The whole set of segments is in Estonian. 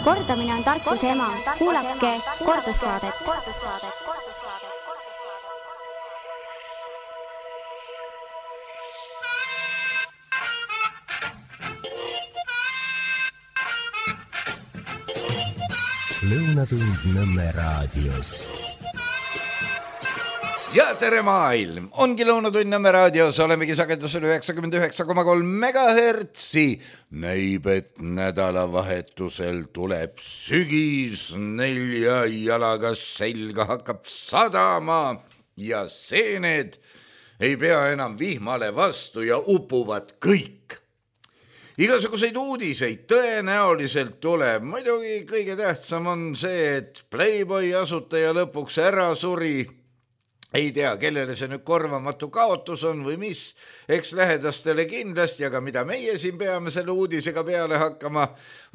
Kordamine on tarkuse ema. Kuulake kordussaadet. Lõunatund Nõmme raadios. Ja tere maailm! Ongi Lõunatund Nõmme raadios, olemegi sagedusel 99,3 megahertsi. Näib, et nädalavahetusel tuleb sügis, 4 jalaga selga hakkab sadama ja seened ei pea enam vihmale vastu ja upuvad kõik. Igasuguseid uudiseid tõenäoliselt tuleb. Muidugi kõige tähtsam on see, et Playboy asutaja lõpuks ära suri. Ei tea, kellele see nüüd korvamatu kaotus on või mis. Eks lähedastele kindlasti, aga mida meie siin peame selle uudisega peale hakkama,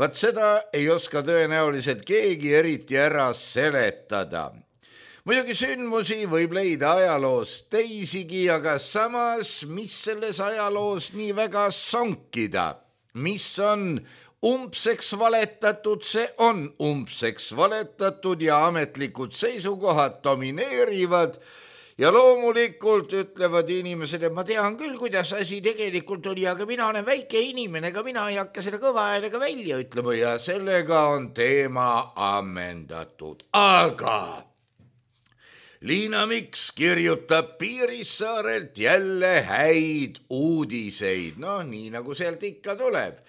vaat seda ei oska tõenäoliselt keegi eriti ära seletada. Muidugi sündmusi võib leida ajaloos teisigi, aga samas, mis selles ajaloos nii väga sonkida? Mis on umbseks valetatud, see on umbseks valetatud ja ametlikud seisukohad domineerivad ja loomulikult ütlevad inimesed, et ma tean küll, kuidas asi tegelikult oli, aga mina olen väike inimene, ega mina ei hakka selle kõva häälega välja ütlema ja sellega on teema ammendatud. Aga Liina Miks kirjutab Piirissaarelt jälle häid uudiseid, nii nagu sealt ikka tuleb.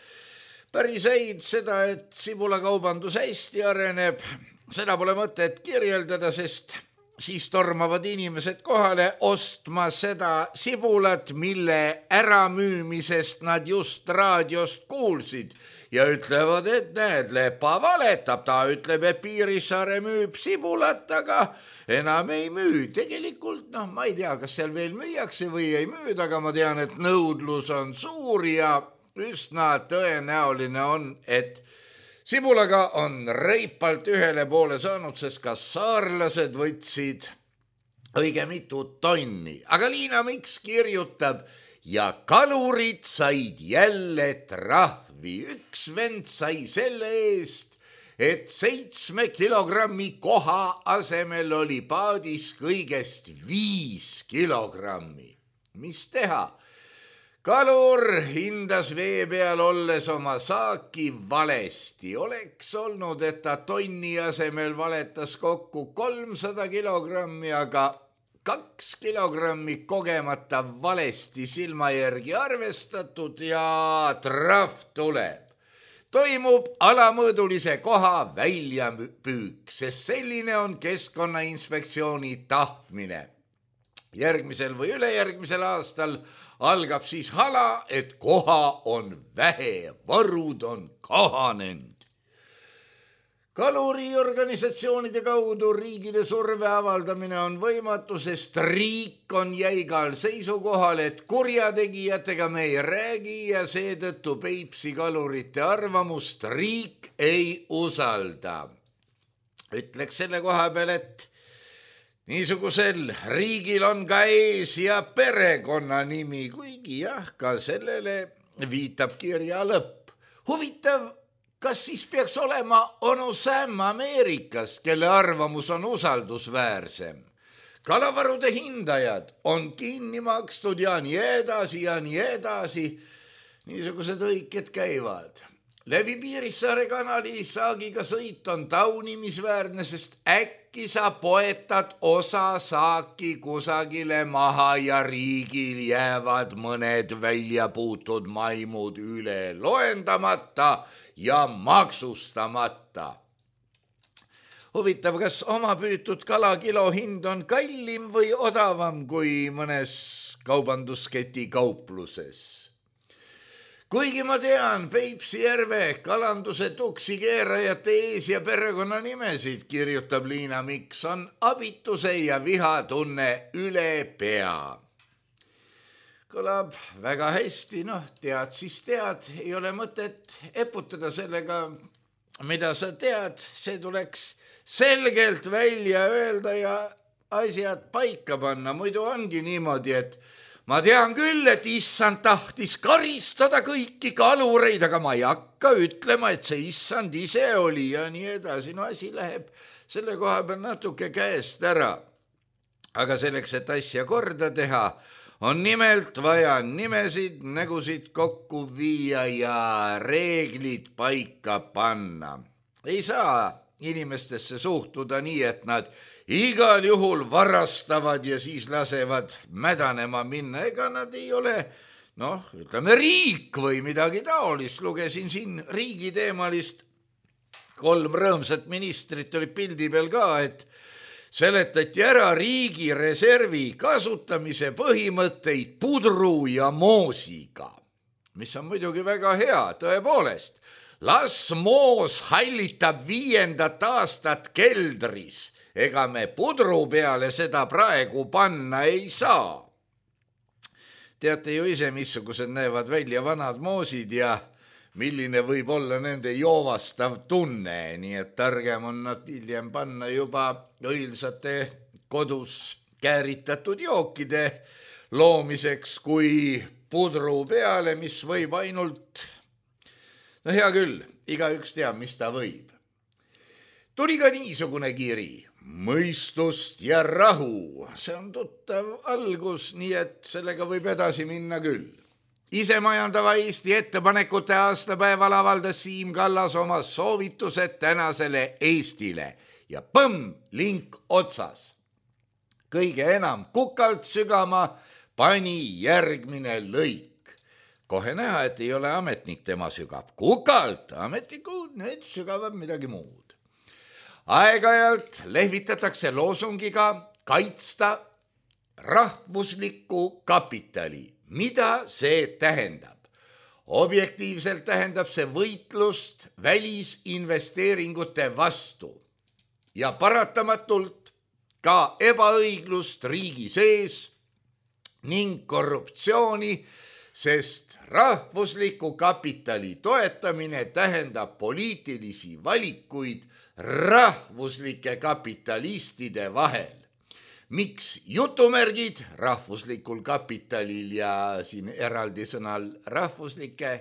Päris häid seda, et sibulakaubandus hästi areneb, seda pole mõtet kirjeldada, sest siis tormavad inimesed kohale ostma seda sibulat, mille äramüümisest nad just raadiost kuulsid ja ütlevad, et näed, Lepa valetab, ta ütleb, et Piirissaare müüb sibulat, aga enam ei müü. Tegelikult, ma ei tea, kas seal veel müüakse või ei müüd, aga ma tean, et nõudlus on suur ja üsna tõenäoline on, et sibulaga on reipalt ühele poole saanud, sest ka saarlased võtsid õige mitu tonni. Aga Liina Miks kirjutab ja kalurid said jälle trahvi. Üks vend sai selle eest, et 7 kilogrammi koha asemel oli paadis kõigest 5 kilogrammi. Mis teha? Kalur hindas vee peal olles oma saaki valesti. Oleks olnud, et ta tonni asemel valetas kokku 300 kilogrammi, aga 2 kilogrammi kogemata valesti silma järgi arvestatud ja trahv tuleb. Toimub alamõõdulise koha väljapüük, sest selline on Keskkonnainspektsiooni tahtmine. Järgmisel või ülejärgmisel aastal algab siis hala, et koha on vähe, varud on kahanenud. Kaluriorganisatsioonide kaudu riigile surve avaldamine on võimatu, sest riik on jäigal seisukohal, et kurjategijatega me ei räägi ja seetõttu Peipsi kalurite arvamust riik ei usalda. Ütleks selle koha peal, et niisugusel riigil on ka ees- ja perekonnanimi, kuigi jah, ka sellele viitab kirja lõpp. Huvitav, kas siis peaks olema onu Sam Ameerikas, kelle arvamus on usaldusväärsem? Kalavarude hindajad on kinni makstud ja nii edasi ja nii edasi. Niisugused õiked käivad. Läbi Piirissaare kanali saagiga sõit on taunimisväärne, sest äkki sa poetad osa saaki kusagile maha ja riigil jäävad mõned väljapuutud maimud üle loendamata ja maksustamata. Huvitav, kas oma püütud kalakilo hind on kallim või odavam kui mõnes kaubandusketi kaupluses? Kuigi ma tean Peipsi järve kalanduse tuksikeerajate ees- ja perekonnanimesid, kirjutab Liina Miks, on abituse ja vihatunne üle pea. Kõlab väga hästi, tead siis tead, ei ole mõtet eputada sellega, mida sa tead, see tuleks selgelt välja öelda ja asjad paika panna. Muidu ongi niimoodi, et ma tean küll, et issand tahtis karistada kõiki kalureid, aga ma ei hakka ütlema, et see issand ise oli ja nii edasi. No asi läheb selle koha peal natuke käest ära. Aga selleks, et asja korda teha, on nimelt vaja nimesid, nägusid kokku viia ja reeglid paika panna. Ei saa inimestesse suhtuda nii, et nad igal juhul varastavad ja siis lasevad mädanema minna. Ega nad ei ole, ütleme riik või midagi taolist. Lugesin siin riigiteemalist, 3 rõõmsat ministrit oli pildi peal ka, et seletati ära riigi reservi kasutamise põhimõtteid pudru ja moosiga, mis on muidugi väga hea, tõepoolest. Las moos hallitab 5. aastat keldris, ega me pudru peale seda praegu panna ei saa. Teate ju ise, missugused näevad välja vanad moosid ja milline võib olla nende joovastav tunne, nii et targem on nad hiljem panna juba õilsate kodus kääritatud jookide loomiseks kui pudru peale, mis võib ainult, hea küll, igaüks teab, mis ta võib. Tuli ka niisugune kiri, mõistust ja rahu, see on tuttav algus, nii et sellega võib edasi minna küll. Isemajandava Eesti ettepanekute aastapäeval avaldas Siim Kallas oma soovitused tänasele Eestile ja põmm, link otsas. Kõige enam kukalt sügama pani järgmine lõik. Kohe näha, et ei ole ametnik tema sügab. Kukalt, ametnikud, need sügavad midagi muud. Aeg-ajalt lehvitatakse loosungiga kaitsta rahvuslikku kapitali. Mida see tähendab? Objektiivselt tähendab see võitlust välisinvesteeringute vastu ja paratamatult ka ebaõiglust riigi sees ning korruptsiooni, sest rahvusliku kapitali toetamine tähendab poliitilisi valikuid rahvuslike kapitalistide vahel. Miks jutumärgid rahvuslikul kapitalil ja siin eraldi sõnal rahvuslike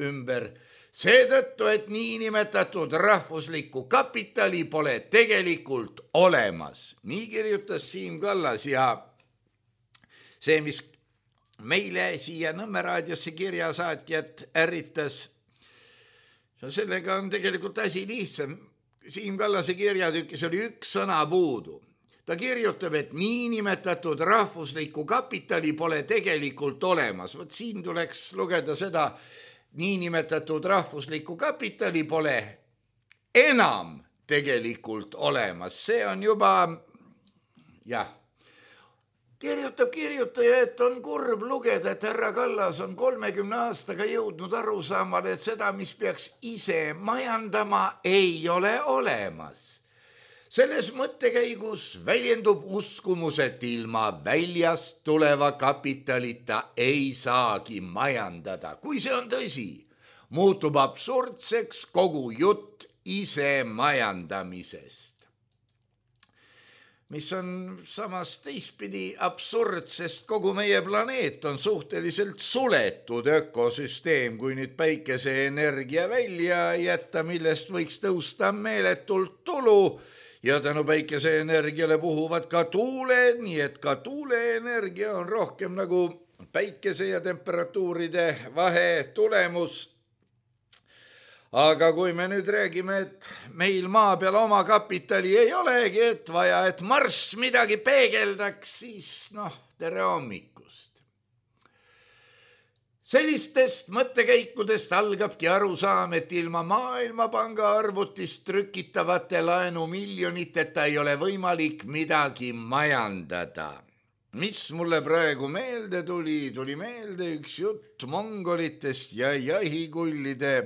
ümber? Seetõttu, et niinimetatud rahvuslikku kapitali pole tegelikult olemas. Nii kirjutas Siim Kallas ja see, mis meile siia Nõmme raadiosse kirjasaatjat ärritas, sellega on tegelikult asi lihtsam. Siim Kallase kirjatükis oli üks sõna puudu. Ta kirjutab, et niinimetatud rahvuslikku kapitali pole tegelikult olemas. Võt siin tuleks lugeda seda, niinimetatud rahvuslikku kapitali pole enam tegelikult olemas. See on juba, kirjutaja, et on kurb lugeda, et härra Kallas on 30 aastaga jõudnud aru saamale, et seda, mis peaks ise majandama, ei ole olemas. Selles mõttekäigus väljendub uskumus, et ilma väljast tuleva kapitalita ei saagi majandada. Kui see on tõsi, muutub absurdseks kogu jutt ise majandamisest. Mis on samas teistpidi absurd, sest kogu meie planeet on suhteliselt suletud ökosüsteem, kui nüüd päikeseenergia välja jätta, millest võiks tõusta meeletult tulu, ja tänu päikeseenergiale puhuvad ka tuuled, nii et ka tuuleenergia on rohkem nagu päikese ja temperatuuride vahe tulemus. Aga kui me nüüd räägime, et meil maa peal oma kapitali ei olegi, et vaja, et Marss midagi peegeldaks, siis tere hommikust. Sellistest mõttekäikudest algabki arusaam, et ilma Maailmapanga arvutist trükitavate laenumiljoniteta ei ole võimalik midagi majandada. Mis mulle praegu meelde tuli? Tuli meelde üks jutt mongolitest ja jahikullide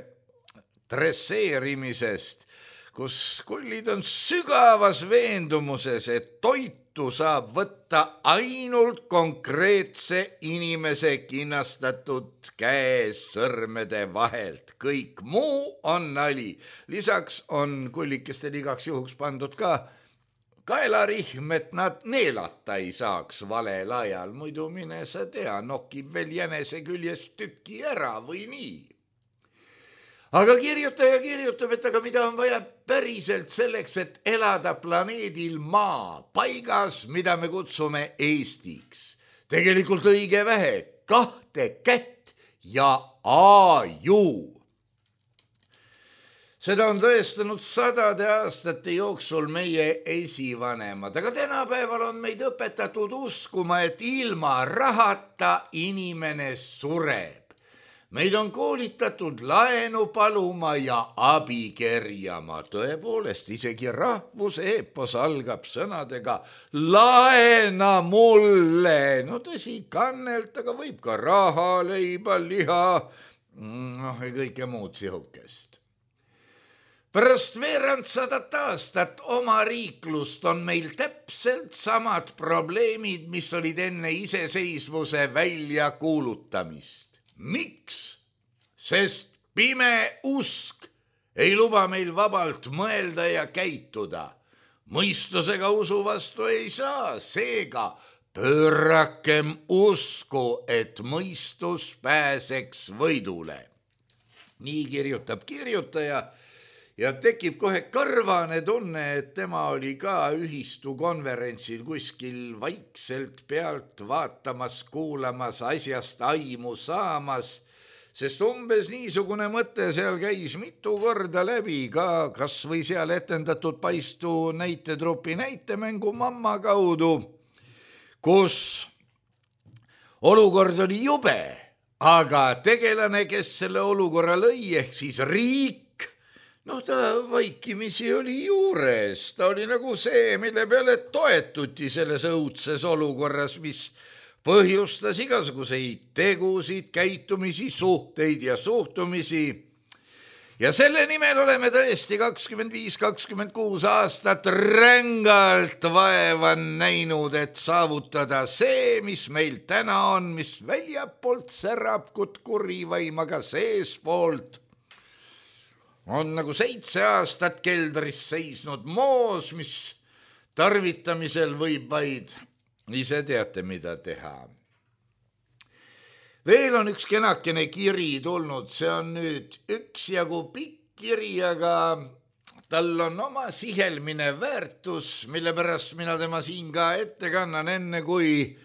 dresseerimisest, kus kullid on sügavas veendumuses, et toitu saab võtta ainult konkreetse inimese kinnastatud käesõrmede vahelt. Kõik muu on nali. Lisaks on kullikestel igaks juhuks pandud ka kaelarihm, et nad neelata ei saaks valel ajal, muidu mine sa tea, nokib veel jänese küljest tüki ära või nii. Aga kirjutaja kirjutab, et aga mida on vaja päriselt selleks, et elada planeedil Maa paigas, mida me kutsume Eestiks. Tegelikult õige vähe, 2 kätt ja aju. Seda on tõestanud 100 aastate jooksul meie esivanemad, aga tänapäeval on meid õpetatud uskuma, et ilma rahata inimene sureb. Meid on koolitatud laenu paluma ja abi kerjama. Tõepoolest, isegi rahvuse eepos algab sõnadega laena mulle. No tõsi, kannelt, aga võib ka raha, leiba, liha, ja kõike muud sihukest. Pärast veerand 100 aastat oma riiklust on meil täpselt samad probleemid, mis olid enne iseseisvuse väljakuulutamist. Miks? Sest pime usk ei luba meil vabalt mõelda ja käituda. Mõistusega usu vastu ei saa, seega pöörakem usku, et mõistus pääseks võidule. Nii kirjutab kirjutaja ja tekib kohe karvane tunne, et tema oli ka ühistu konverentsil kuskil vaikselt pealt vaatamas, kuulamas, asjast aimu saamas, sest umbes niisugune mõte seal käis mitu korda läbi ka kas või seal etendatud Paistu näitetrupi näitemängu Mamma kaudu, kus olukord oli jube, aga tegelane, kes selle olukorra lõi, ehk siis riik, no ta vaikimisi oli juures, ta oli nagu see, mille peale toetuti selles õudses olukorras, mis põhjustas igasuguseid tegusid, käitumisi, suhteid ja suhtumisi. Ja selle nimel oleme tõesti 25-26 aastat rängalt vaeva näinud, et saavutada see, mis meil täna on, mis väljapoolt särab kutkurivaim, aga seespoolt on nagu 7 aastat keldris seisnud moos, mis tarvitamisel võib vaid ise teate, mida teha. Veel on üks kenakene kiri tulnud, see on nüüd üksjagu pikk kiri, aga tal on oma sihelmine väärtus, mille pärast mina tema siin ka ette kannan, enne kui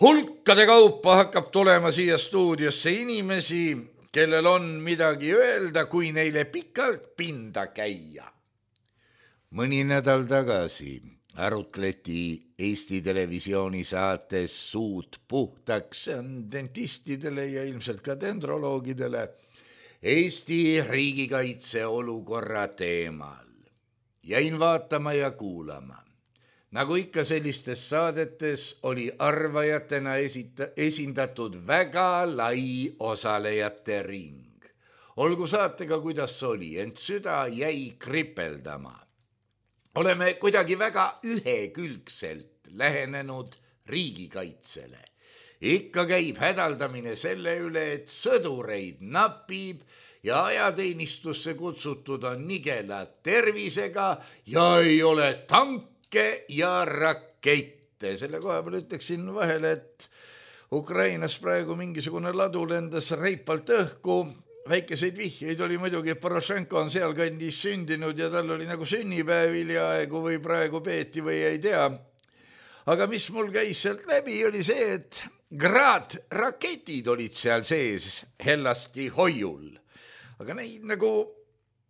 hulkade kaupa hakkab tulema siia stuudiosse inimesi, kellel on midagi öelda, kui neile pikalt pinda käia. Mõni nädal tagasi arutleti Eesti Televisiooni saates Suud puhtaks, see on dentistidele ja ilmselt ka dendroloogidele, Eesti riigikaitse olukorra teemal. Jäin vaatama ja kuulama. Nagu ikka sellistes saadetes oli arvajatena esindatud väga lai osalejate ring. Olgu saatega, kuidas oli, ent süda jäi kripeldama. Oleme kuidagi väga ühekülgselt lähenenud riigikaitsele. Ikka käib hädaldamine selle üle, et sõdureid napib ja ajateenistusse kutsutud on nigela tervisega ja ei ole tanke ja rakette. Selle koha peal ütleksin vahele, et Ukrainas praegu mingisugune ladu lendas reipalt õhku. Väikeseid vihjeid oli muidugi, et Porošenko on seal kandis sündinud ja tal oli nagu sünnipäev hiljaaegu või praegu peeti või ei tea. Aga mis mul käis sealt läbi, oli see, et Grad-raketid olid seal sees hellasti hoiul. Aga neid nagu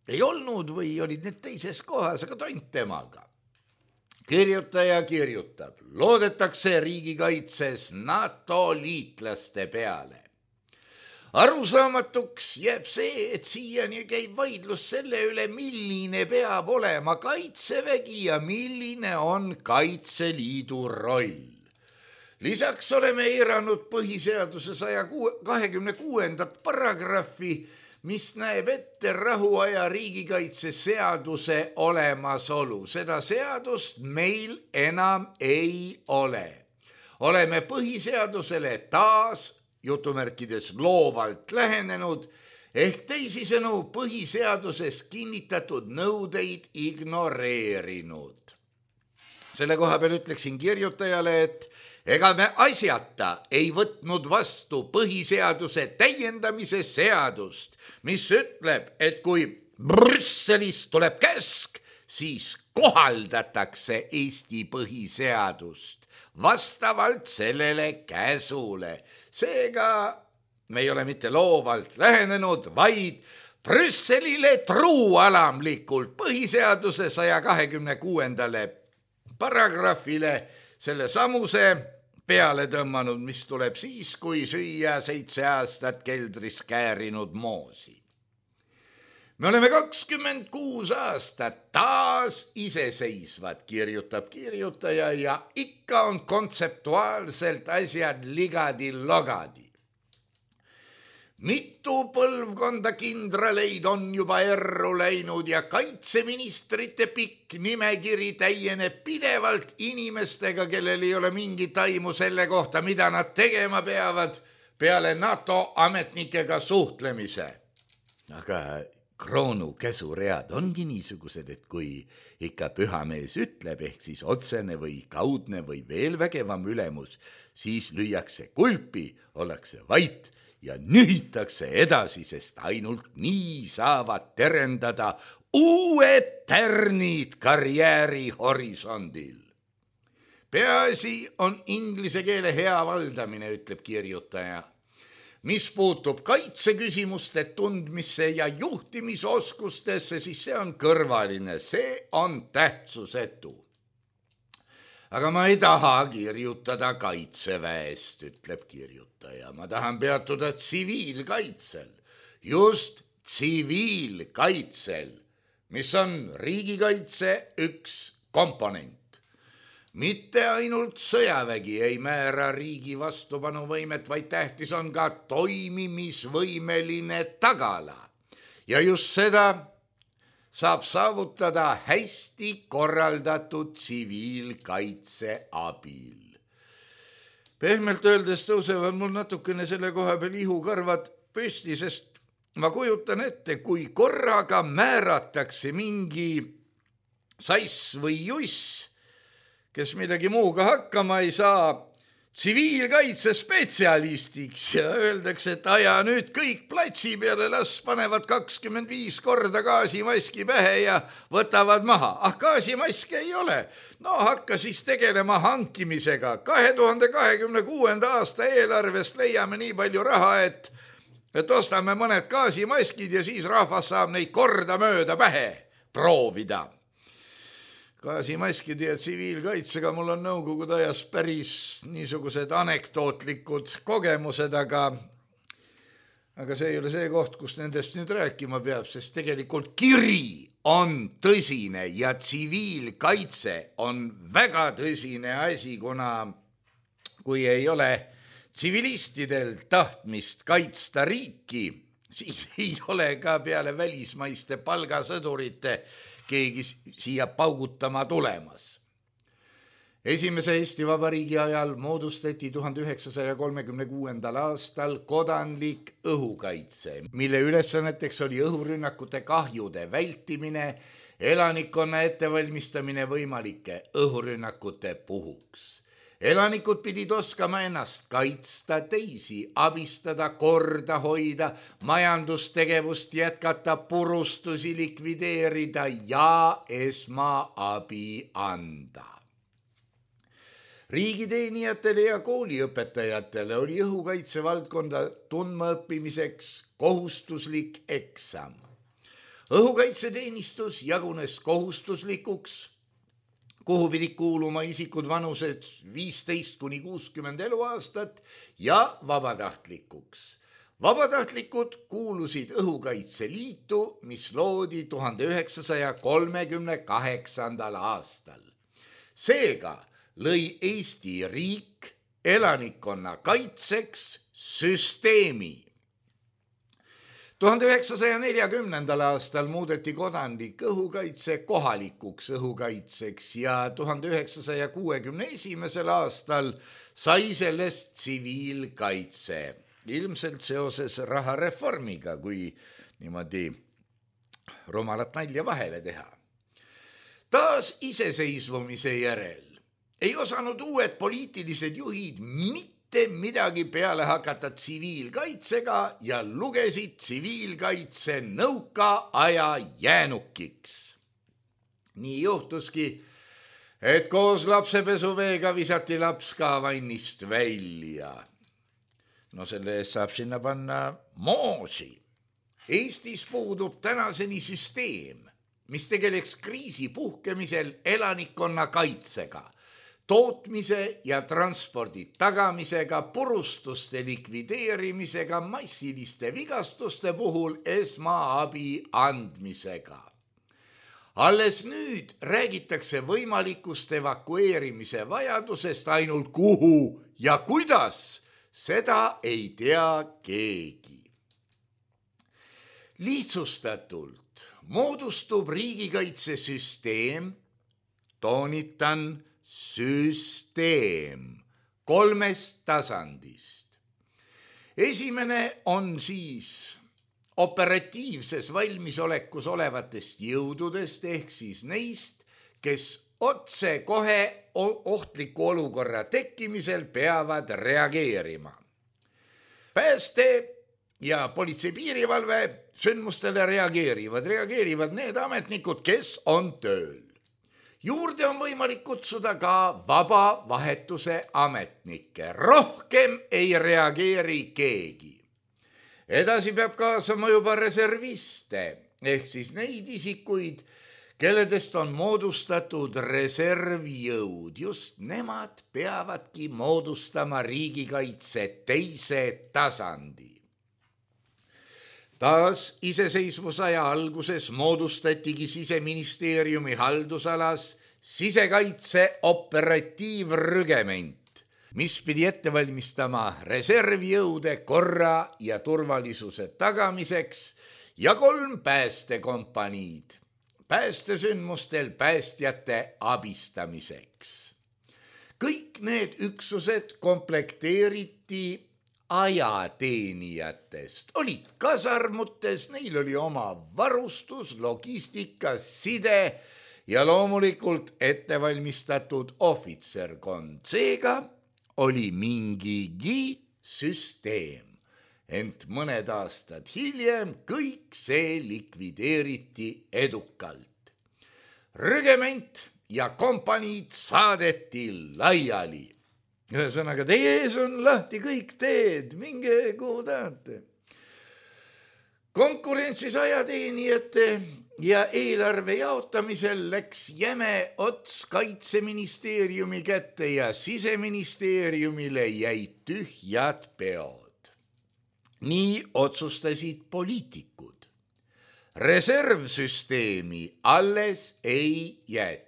ei olnud või olid need teises kohas, aga tont temaga. Kirjutaja kirjutab, loodetakse riigikaitses NATO liitlaste peale. Arusaamatuks jääb see, et siiani käib vaidlus selle üle, milline peab olema kaitsevägi ja milline on Kaitseliidu roll. Lisaks oleme eiranud põhiseaduse 126. paragrahvi, mis näeb ette rahuaja riigikaitse seaduse olemasolu. Seda seadust meil enam ei ole. Oleme põhiseadusele taas jutumärkides loovalt lähenenud, ehk teisisõnu põhiseaduses kinnitatud nõudeid ignoreerinud. selle koha peal ütleksin kirjutajale, et ega me asjata ei võtnud vastu põhiseaduse täiendamise seadust, mis ütleb, et kui Brüsselist tuleb käsk, siis kohaldatakse Eesti põhiseadust vastavalt sellele käsule. Seega me ei ole mitte loovalt lähenenud, vaid Brüsselile truualamlikult põhiseaduse 126. paragrahvile selle samuse peale tõmmanud, mis tuleb siis, kui süüa 7 aastat keldris käärinud moosi. Me oleme 26 aastat taas iseseisvad, kirjutab kirjutaja, ja ikka on kontseptuaalselt asjad ligadi-logadi. Mitu põlvkonda kindraleid on juba erru läinud ja kaitseministrite pikk nimekiri täieneb pidevalt inimestega, kellel ei ole mingit aimu selle kohta, mida nad tegema peavad peale NATO ametnikega suhtlemise. Aga kroonu käsuread ongi niisugused, et kui ikka pühamees ütleb, ehk siis otsene või kaudne või veel vägevam ülemus, siis lüüakse kulpi, ollakse vait ja nühitakse edasi, sest ainult nii saavad terendada uued tärnid karjääri horisondil. Peaasi on inglise keele hea valdamine, ütleb kirjutaja. Mis puutub kaitseküsimuste tundmisse ja juhtimisoskustesse, siis see on kõrvaline, see on tähtsusetu. Aga ma ei taha kirjutada kaitseväest, ütleb kirjutaja. Ma tahan peatuda tsiviilkaitsel, just tsiviilkaitsel, mis on riigikaitse üks komponent. Mitte ainult sõjavägi ei määra riigi vastupanuvõimet, vaid tähtis on ka toimimisvõimeline tagala. Ja just seda saab saavutada hästi korraldatud tsiviilkaitse abil. Pehmelt öeldes tõusevad mul natukene selle koha peal ihukarvad püsti, sest ma kujutan ette, kui korraga määratakse mingi sass või juss, kes midagi muuga hakkama ei saa, tsiviilkaitse spetsialistiks ja öeldakse, et aja nüüd kõik platsi peale, las panevad 25 korda gaasimaski pähe ja võtavad maha. Gaasimaski ei ole. No hakka siis tegelema hankimisega. 2026. aasta eelarvest leiame nii palju raha, et ostame mõned gaasimaskid ja siis rahvas saab neid korda mööda pähe proovida. Gaasimaskid ja tsiviilkaitsega mul on nõukogude ajas päris niisugused anekdootlikud kogemused, aga see ei ole see koht, kus nendest nüüd rääkima peab, sest tegelikult kiri on tõsine ja tsiviilkaitse on väga tõsine asi, kuna kui ei ole tsivilistidel tahtmist kaitsta riiki, siis ei ole ka peale välismaiste palgasõdurite keegi siia paugutama tulemas. Esimese Eesti Vabariigi ajal moodustati 1936. aastal kodanlik õhukaitse, mille ülesanneteks oli õhurünnakute kahjude vältimine, elanikkonna ettevalmistamine võimalike õhurünnakute puhuks. Elanikud pidid oskama ennast kaitsta, teisi abistada, korda hoida, majandustegevust jätkata, purustusi likvideerida ja esmaabi anda. Riigiteenijatele ja kooliõpetajatele oli õhukaitse valdkonda tundma õppimiseks kohustuslik eksam. Õhukaitseteenistus jagunes kohustuslikuks, kuhu pidid kuuluma isikud vanused 15–60 eluaastat ja vabatahtlikuks. Vabatahtlikud kuulusid Õhukaitseliitu, mis loodi 1938. aastal. Seega lõi Eesti riik elanikkonna kaitseks süsteemi. 1940. aastal muudeti kodanlik õhukaitse kohalikuks õhukaitseks ja 1961. aastal sai sellest tsiviilkaitse. Ilmselt seoses rahareformiga, kui niimoodi rumalat nalja vahele teha. Taas iseseisvumise järel ei osanud uued poliitilised juhid mitte midagi peale hakata tsiviilkaitsega ja lugesid tsiviilkaitse nõukaaja jäänukiks. Nii juhtuski, et koos lapsepesuveega visati laps ka vannist välja. No selle eest saab sinna panna moosi. Eestis puudub tänaseni süsteem, mis tegeleks kriisi puhkemisel elanikkonna kaitsega, tootmise ja transpordi tagamisega, purustuste likvideerimisega, massiliste vigastuste puhul esmaabi andmisega. Alles nüüd räägitakse võimalikust evakueerimise vajadusest ainult kuhu ja kuidas, seda ei tea keegi. Lihtsustatult moodustub riigikaitsesüsteem, toonitan süsteem, 3 tasandist. Esimene on siis operatiivses valmisolekus olevatest jõududest ehk siis neist, kes otse kohe ohtliku olukorra tekkimisel peavad reageerima. Pääste ja politsei piirivalve sündmustele reageerivad need ametnikud, kes on tööl. Juurde on võimalik kutsuda ka vaba vahetuse ametnikke. Rohkem ei reageeri keegi. Edasi peab kaasama juba reserviste ehk siis neid isikuid, kelledest on moodustatud reservjõud. Just nemad peavadki moodustama riigikaitse 2. tasandi. Taas iseseisvusaja alguses moodustatigi Siseministeeriumi haldusalas sisekaitse operatiivrügement, mis pidi ette valmistama reservjõude korra ja turvalisuse tagamiseks ja 3 päästekompaniid päästesündmustel päästjate abistamiseks. Kõik need üksused komplekteeriti ajateenijatest, olid kasarmutes, neil oli oma varustus, logistika, side ja loomulikult ettevalmistatud ohvitserkond. Seega oli mingigi süsteem, ent mõned aastad hiljem kõik see likvideeriti edukalt. Rügement ja kompaniid saadeti laiali. Ühesõnaga, teie ees on lahti kõik teed, minge kuhu tahate. Konkurentsis ajateenijate ja eelarve jaotamisel läks jäme ots Kaitseministeeriumi kätte ja Siseministeeriumile jäid tühjad peod. Nii otsustasid poliitikud. Reservsüsteemi alles ei jäetud.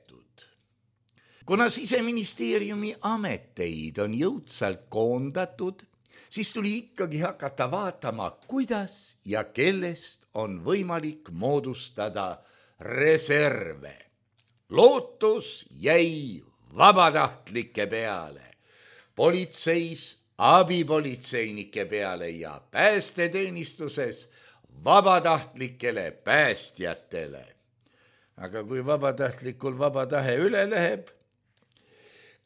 Kuna Siseministeeriumi ameteid on jõudsalt koondatud, siis tuli ikkagi hakata vaatama, kuidas ja kellest on võimalik moodustada reserve. Lootus jäi vabatahtlike peale, politseis abipolitseinike peale ja päästeteenistuses vabatahtlikele päästjatele. Aga kui vabatahtlikul vaba tahe üle läheb,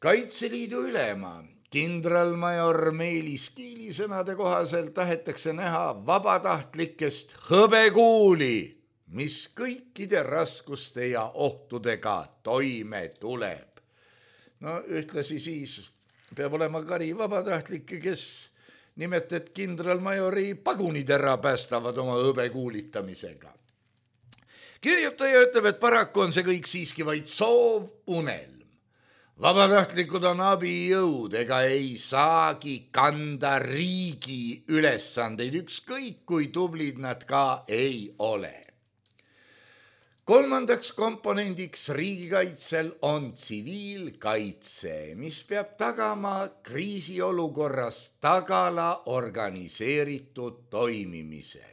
Kaitseliidu ülema kindralmajor Meelis Kiili sõnade kohaselt tahetakse näha vabatahtlikest hõbekuuli, mis kõikide raskuste ja ohtudega toime tuleb. No ühtlasi siis peab olema kari vabatahtlikke, kes nimelt, et kindralmajori pagunid ära päästavad oma hõbekuulitamisega. Kirjutaja ütleb, et paraku on see kõik siiski vaid soov, unelm. Vabatahtlikud on abijõud ega ei saagi kanda riigi ülesandeid, ükskõik kui tublid nad ka ei ole. 3. komponendiks riigikaitsel on tsiviilkaitse, mis peab tagama kriisiolukorras tagala organiseeritud toimimise.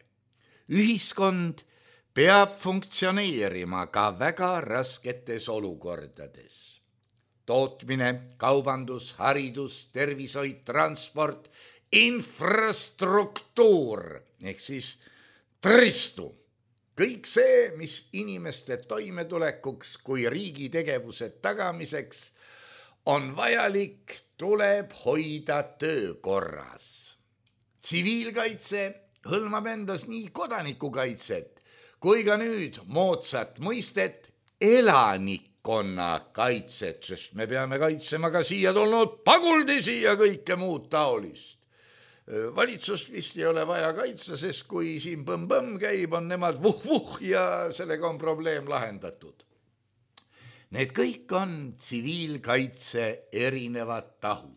Ühiskond peab funktsioneerima ka väga rasketes olukordades. Tootmine, kaubandus, haridus, tervishoid, transport, infrastruktuur ehk siis taristu. kõik see, mis inimeste toimetulekuks kui riigi tegevuse tagamiseks on vajalik, tuleb hoida töökorras. Tsiviilkaitse hõlmab endas nii kodanikukaitset kui ka nüüd moodsat mõistet elanikkonnakaitset, sest me peame kaitsema ka siia tulnud paguldisi ja kõike muud taolist. Valitsust vist ei ole vaja kaitsta, sest kui siin põmm-põmm käib, on nemad vuh-vuh ja sellega on probleem lahendatud. Need kõik on tsiviilkaitse erinevad tahud.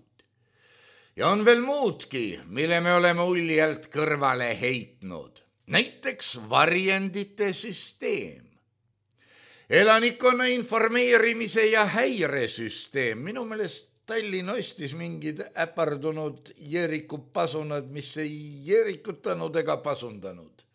Ja on veel muudki, mille me oleme uljalt kõrvale heitnud. Näiteks varjendite süsteem. Elanikkonna informeerimise ja häiresüsteem. Minu meelest Tallinn ostis mingid äpardunud jeerikupasunad, mis ei jeerikutanud ega pasundanud.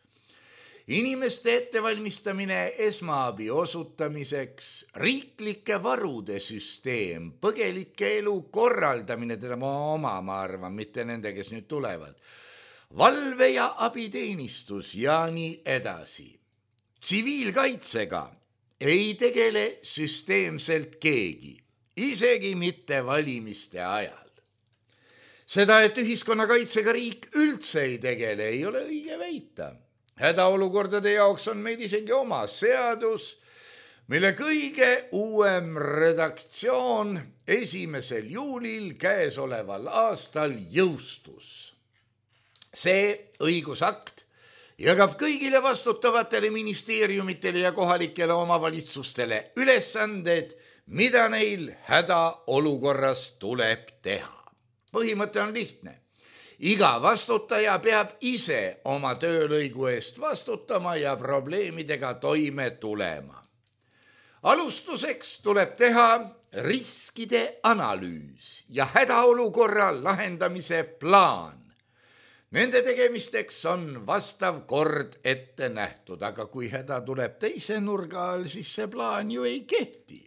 Inimeste ettevalmistamine esmaabi osutamiseks, riiklike varude süsteem, põgelike elu korraldamine, teda ma arvan, mitte nende, kes nüüd tulevad, valve- ja abiteenistus ja nii edasi. Tsiviilkaitsega ei tegele süsteemselt keegi. Isegi mitte valimiste ajal. Seda, et ühiskonnakaitsega riik üldse ei tegele, ei ole õige väita. Hädaolukordade jaoks on meil isegi oma seadus, mille kõige uuem redaktsioon 1. juulil käesoleval aastal jõustus. See õigusakt jagab kõigile vastutavatele ministeeriumitele ja kohalikele omavalitsustele ülesanded, mida neil hädaolukorras tuleb teha. Põhimõte on lihtne. Iga vastutaja peab ise oma töölõigu eest vastutama ja probleemidega toime tulema. Alustuseks tuleb teha riskide analüüs ja hädaolukorra lahendamise plaan. Nende tegemisteks on vastav kord ette nähtud, aga kui häda tuleb teise nurga all, siis see plaan ju ei kehti.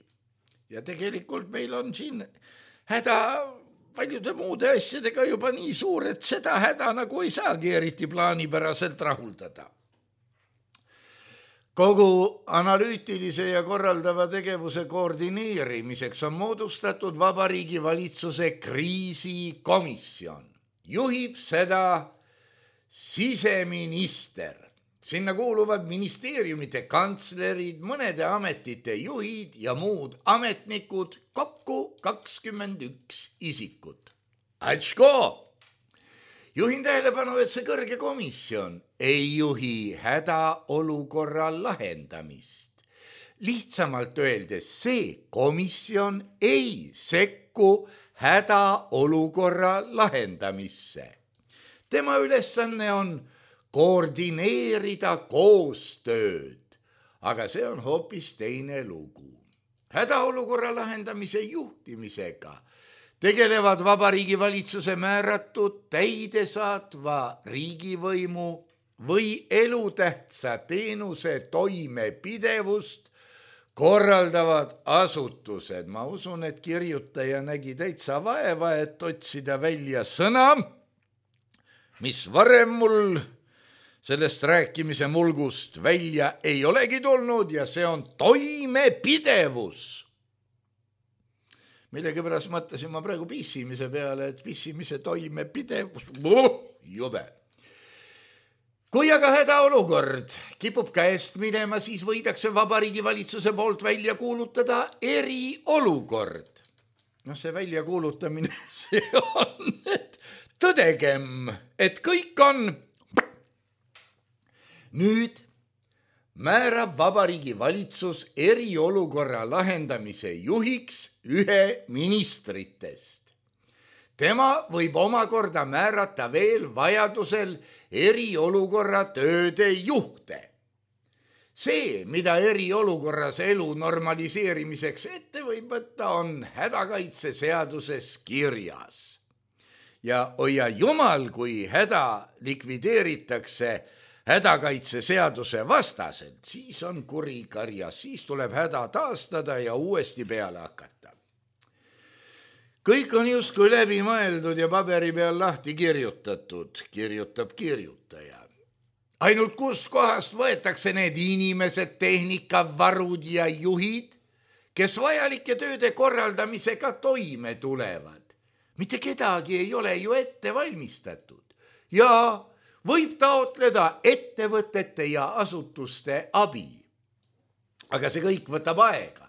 Ja tegelikult meil on siin häda paljude muude asjadega juba nii suur, et seda häda nagu ei saagi eriti plaanipäraselt rahuldada. Kogu analüütilise ja korraldava tegevuse koordineerimiseks on moodustatud Vabariigi Valitsuse kriisikomisjon. Juhib seda siseminister. Sinna kuuluvad ministeeriumite kantslerid, mõnede ametite juhid ja muud ametnikud, kokku 21 isikut. Atško! Juhin tähelepanu, et see kõrge komisjon ei juhi hädaolukorra lahendamist. Lihtsamalt öeldes, see komisjon ei sekku hädaolukorra lahendamisse. Tema ülesanne on koordineerida koostööd, aga see on hoopis teine lugu. Hädaolukorra lahendamise juhtimisega tegelevad Vabariigi Valitsuse määratud täidesaatva riigivõimu või elutähtsa teenuse toimepidevust korraldavad asutused. Ma usun, et kirjutaja nägi täitsa vaeva, et otsida välja sõna, mis varem mul sellest rääkimise mulgust välja ei olegi tulnud ja see on toimepidevus. Millegipärast mõtlesin ma praegu pissimise peale, et pissimise toimepidevus, jube. Kui aga hädaolukord kipub käest minema, siis võidakse Vabariigi Valitsuse poolt välja kuulutada eriolukord. See väljakuulutamine, see on, et tõdegem, et kõik on. Nüüd määrab Vabariigi Valitsus eriolukorra lahendamise juhiks ühe ministritest. Tema võib omakorda määrata veel vajadusel eriolukorra tööde juhte. See, mida eriolukorras elu normaliseerimiseks ette võib võtta, on hädakaitseseaduses kirjas. Ja hoia jumal, kui häda likvideeritakse hädakaitseseaduse vastaselt, siis on kuri karjas, siis tuleb häda taastada ja uuesti peale hakata. Kõik on justkui läbi mõeldud ja paberi peal lahti kirjutatud, kirjutab kirjutaja. ainult kus kohast võetakse need inimesed, tehnikavarud ja juhid, kes vajalike tööde korraldamisega toime tulevad. Mitte kedagi ei ole ju ette valmistatud ja võib taotleda ettevõtete ja asutuste abi. Aga see kõik võtab aega.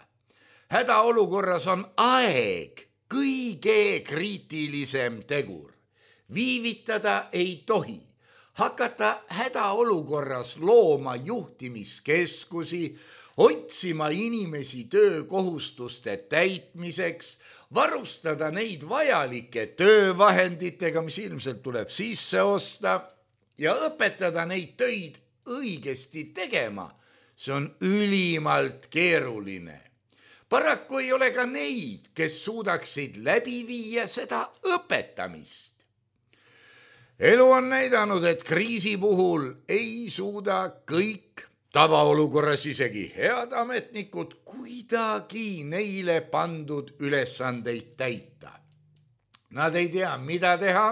Hädaolukorras on aeg kõige kriitilisem tegur. Viivitada ei tohi. Hakata hädaolukorras looma juhtimiskeskusi, otsima inimesi töökohustuste täitmiseks, varustada neid vajalike töövahenditega, mis ilmselt tuleb sisse osta ja õpetada neid töid õigesti tegema. See on ülimalt keeruline. Paraku ei ole ka neid, kes suudaksid läbi viia seda õpetamist. Elu on näidanud, et kriisi puhul ei suuda kõik tavaolukorras isegi head ametnikud kuidagi neile pandud ülesandeid täita. Nad ei tea, mida teha,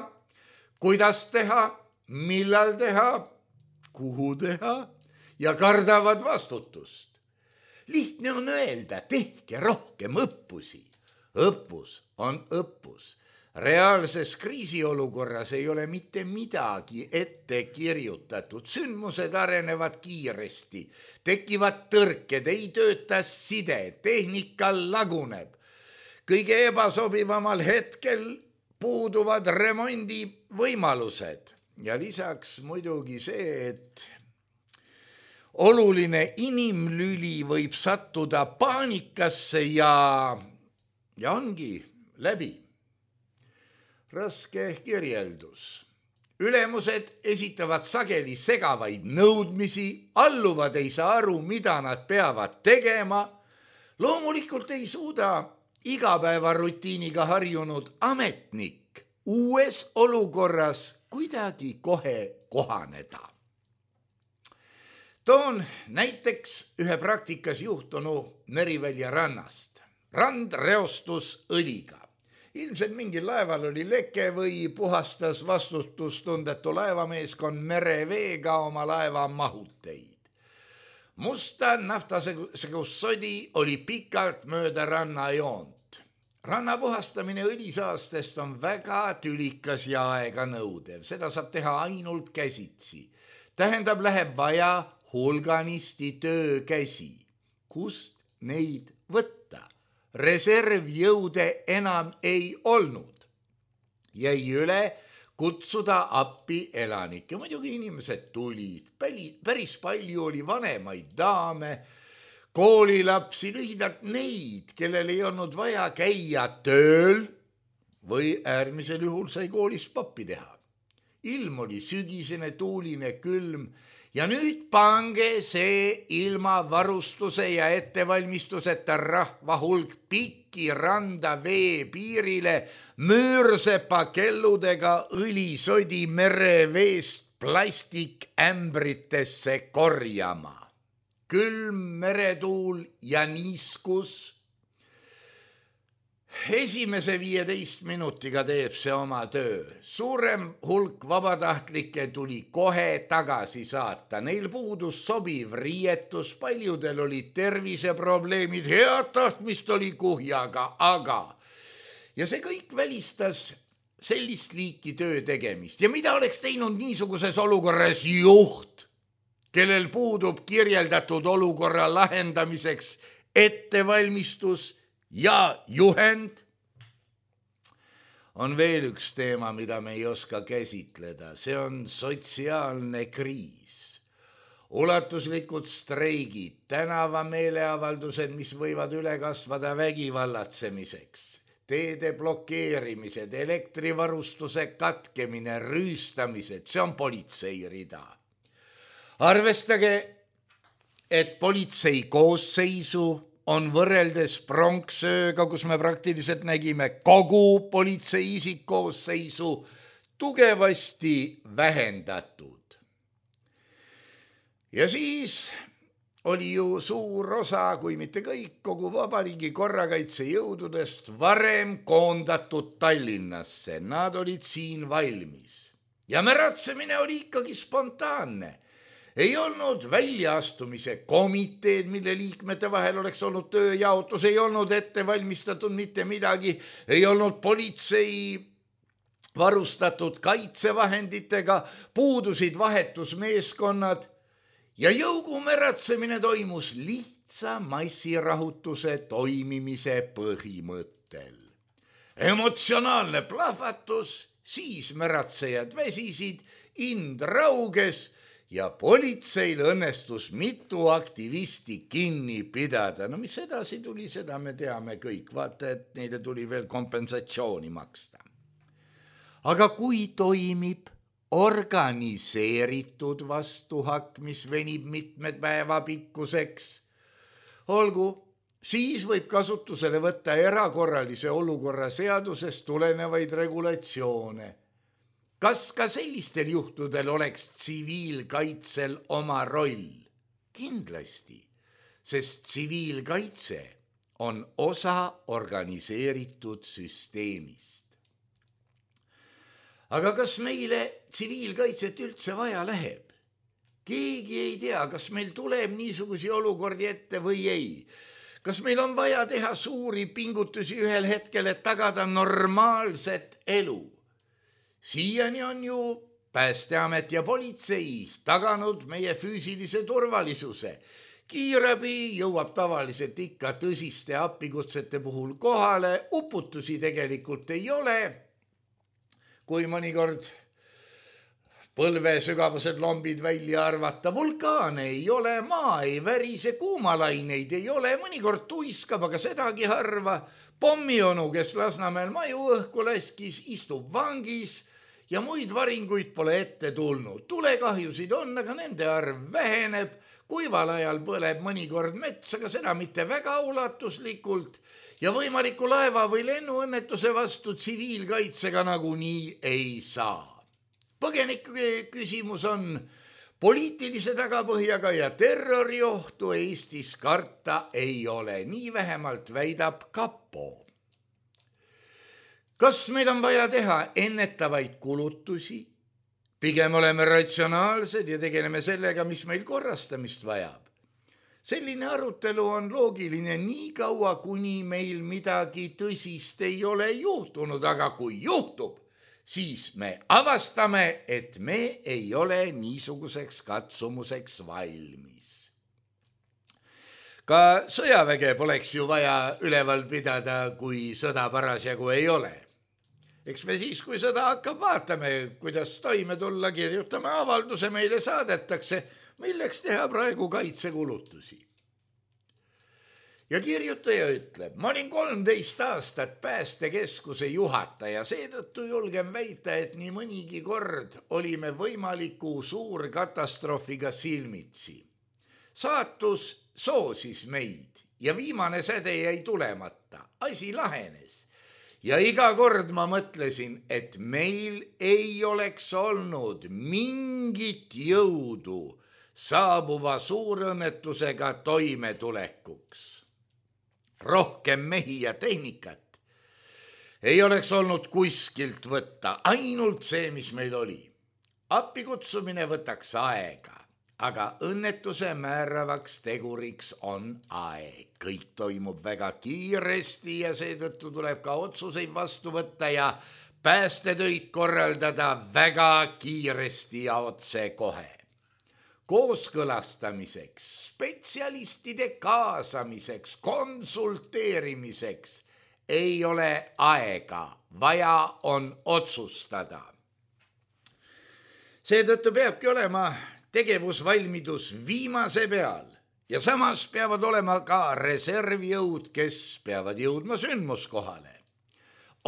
kuidas teha, millal teha, kuhu teha ja kardavad vastutust. Lihtne on öelda, tehke rohkem õppusi. Õppus on õppus. Reaalses kriisiolukorras ei ole mitte midagi ette kirjutatud. Sündmused arenevad kiiresti, tekivad tõrked, ei tööta side, tehnika laguneb. Kõige ebasobivamal hetkel puuduvad remondi võimalused. Ja lisaks muidugi see, et oluline inimlüli võib sattuda paanikasse ja ongi läbi. Raske kirjeldus. Ülemused esitavad sageli segavaid nõudmisi, alluvad ei saa aru, mida nad peavad tegema. Loomulikult ei suuda igapäevarutiiniga harjunud ametnik uues olukorras kuidagi kohe kohaneda. Toon näiteks ühe praktikas juhtunu Merivälja rannast. Rand reostus õliga. Ilmselt mingil laeval oli leke või puhastas vastutustundetu laevameeskond mereveega oma laeva mahuteid. Musta naftasegust sodi oli pikalt mööda rannajoont. Ranna puhastamine õlisaastest on väga tülikas ja aega nõudev. Seda saab teha ainult käsitsi. Tähendab, läheb vaja hulganisti töökäsi. Kust neid võtta? Reservjõude enam ei olnud. Jäi üle kutsuda appi elanikke. Muidugi inimesed tulid. Päris palju oli vanemaid daame, koolilapsi, lühidalt neid, kellel ei olnud vaja käia tööl või äärmisel juhul sai koolis pappi teha. Ilm oli sügisene, tuuline, külm. Ja nüüd pange see ilma varustuse ja ettevalmistuseta rahva hulk pikki randa vee piirile müürsepa kelludega õlisodi mereveest plastikämbritesse korjama. Külm meretuul ja niiskus. Esimese 15 minutiga teeb see oma töö. Suurem hulk vabatahtlikke tuli kohe tagasi saata. Neil puudus sobiv riietus, paljudel olid terviseprobleemid, head tahtmist oli kuhjaga, aga. Ja see kõik välistas sellist liiki töö tegemist. Ja mida oleks teinud niisuguses olukorras juht, kellel puudub kirjeldatud olukorra lahendamiseks ettevalmistus ja juhend? On veel üks teema, mida me ei oska käsitleda. See on sotsiaalne kriis. Ulatuslikud streigid, tänavameeleavaldused, mis võivad üle kasvada vägivallatsemiseks, teede blokeerimised, elektrivarustuse katkemine, rüüstamised, see on politsei rida. Arvestage, et politsei koosseisu on võrreldes pronksööga, kus me praktiliselt nägime kogu politsei isikkoosseisu, tugevasti vähendatud. Ja siis oli ju suur osa, kui mitte kõik, kogu vabariigi korrakaitsejõududest varem koondatud Tallinnasse. Nad olid siin valmis. Ja märatsemine oli ikkagi spontaanne. ei olnud väljaastumise komiteed, mille liikmete vahel oleks olnud tööjaotus, ei olnud ette valmistatud mitte midagi, ei olnud politsei varustatud kaitsevahenditega, puudusid vahetusmeeskonnad ja jõugumäratsemine toimus lihtsa massirahutuse toimimise põhimõttel. Emotsionaalne plahvatus, siis märatsejad väsisid, ind rauges ja politseil õnnestus mitu aktivisti kinni pidada. No mis edasi tuli, seda me teame kõik. Vaata, et neile tuli veel kompensatsiooni maksta. Aga kui toimib organiseeritud vastuhakk, mis venib mitmed päeva pikkuseks, olgu, siis võib kasutusele võtta erakorralise olukorra seadusest tulenevaid regulatsioone. Kas ka sellistel juhtudel oleks tsiviilkaitsel oma roll? Kindlasti, sest tsiviilkaitse on osa organiseeritud süsteemist. Aga kas meile tsiviilkaitset üldse vaja läheb? Keegi ei tea, kas meil tuleb niisugusi olukordi ette või ei. Kas meil on vaja teha suuri pingutusi ühel hetkel, et tagada normaalset elu? Siiani on ju Päästeamet ja politsei taganud meie füüsilise turvalisuse. Kiirabi jõuab tavaliselt ikka tõsiste appikutsete puhul kohale, uputusi tegelikult ei ole. Kui mõnikord põlve sügavused lombid välja arvata, vulkaane ei ole, maa ei värise, kuumalaineid ei ole, mõnikord tuiskab, aga sedagi harva. Pommionu, kes Lasnamäel maju õhku laskis, istub vangis ja muid varinguid pole ette tulnud. Tulekahjusid on, aga nende arv väheneb. Kuival ajal põleb mõnikord mets, aga seda mitte väga ulatuslikult. Ja võimaliku laeva või lennuõnnetuse vastu tsiviilkaitsega nagunii ei saa. Põgeniku küsimus on poliitilise tagapõhjaga ja terroriohtu Eestis karta ei ole. Nii vähemalt väidab kapo. Kas meil on vaja teha ennetavaid kulutusi? Pigem oleme ratsionaalsed ja tegeleme sellega, mis meil korrastamist vajab. Selline arutelu on loogiline nii kaua, kuni meil midagi tõsist ei ole juhtunud, aga kui juhtub, siis me avastame, et me ei ole niisuguseks katsumuseks valmis. Ka sõjaväge poleks ju vaja üleval pidada, kui sõda parasjagu ei ole. Eks me siis, kui sõda hakkab, vaatame, kuidas toime tulla, kirjutame avalduse, meile saadetakse, milleks teha praegu kaitsekulutusi. Ja kirjutaja ütleb, ma olin 13 aastat päästekeskuse juhataja, seetõttu julgen väita, et nii mõnigi kord olime võimaliku suurkatastroofiga silmitsi. Saatus soosis meid ja viimane säde jäi tulemata, asi lahenes. Ja iga kord ma mõtlesin, et meil ei oleks olnud mingit jõudu saabuva suurõnnetusega toimetulekuks. Rohkem mehi ja tehnikat ei oleks olnud kuskilt võtta, ainult see, mis meil oli. Appikutsumine võtaks aega, aga õnnetuse määravaks teguriks on aeg. Kõik toimub väga kiiresti ja seetõttu tuleb ka otsuseid vastu võtta ja päästetöid korraldada väga kiiresti ja otsekohe. Kooskõlastamiseks, spetsialistide kaasamiseks, konsulteerimiseks ei ole aega, vaja on otsustada. Seetõttu peabki olema tegevusvalmidus viimase peal ja samas peavad olema ka reservjõud, kes peavad jõudma sündmuskohale.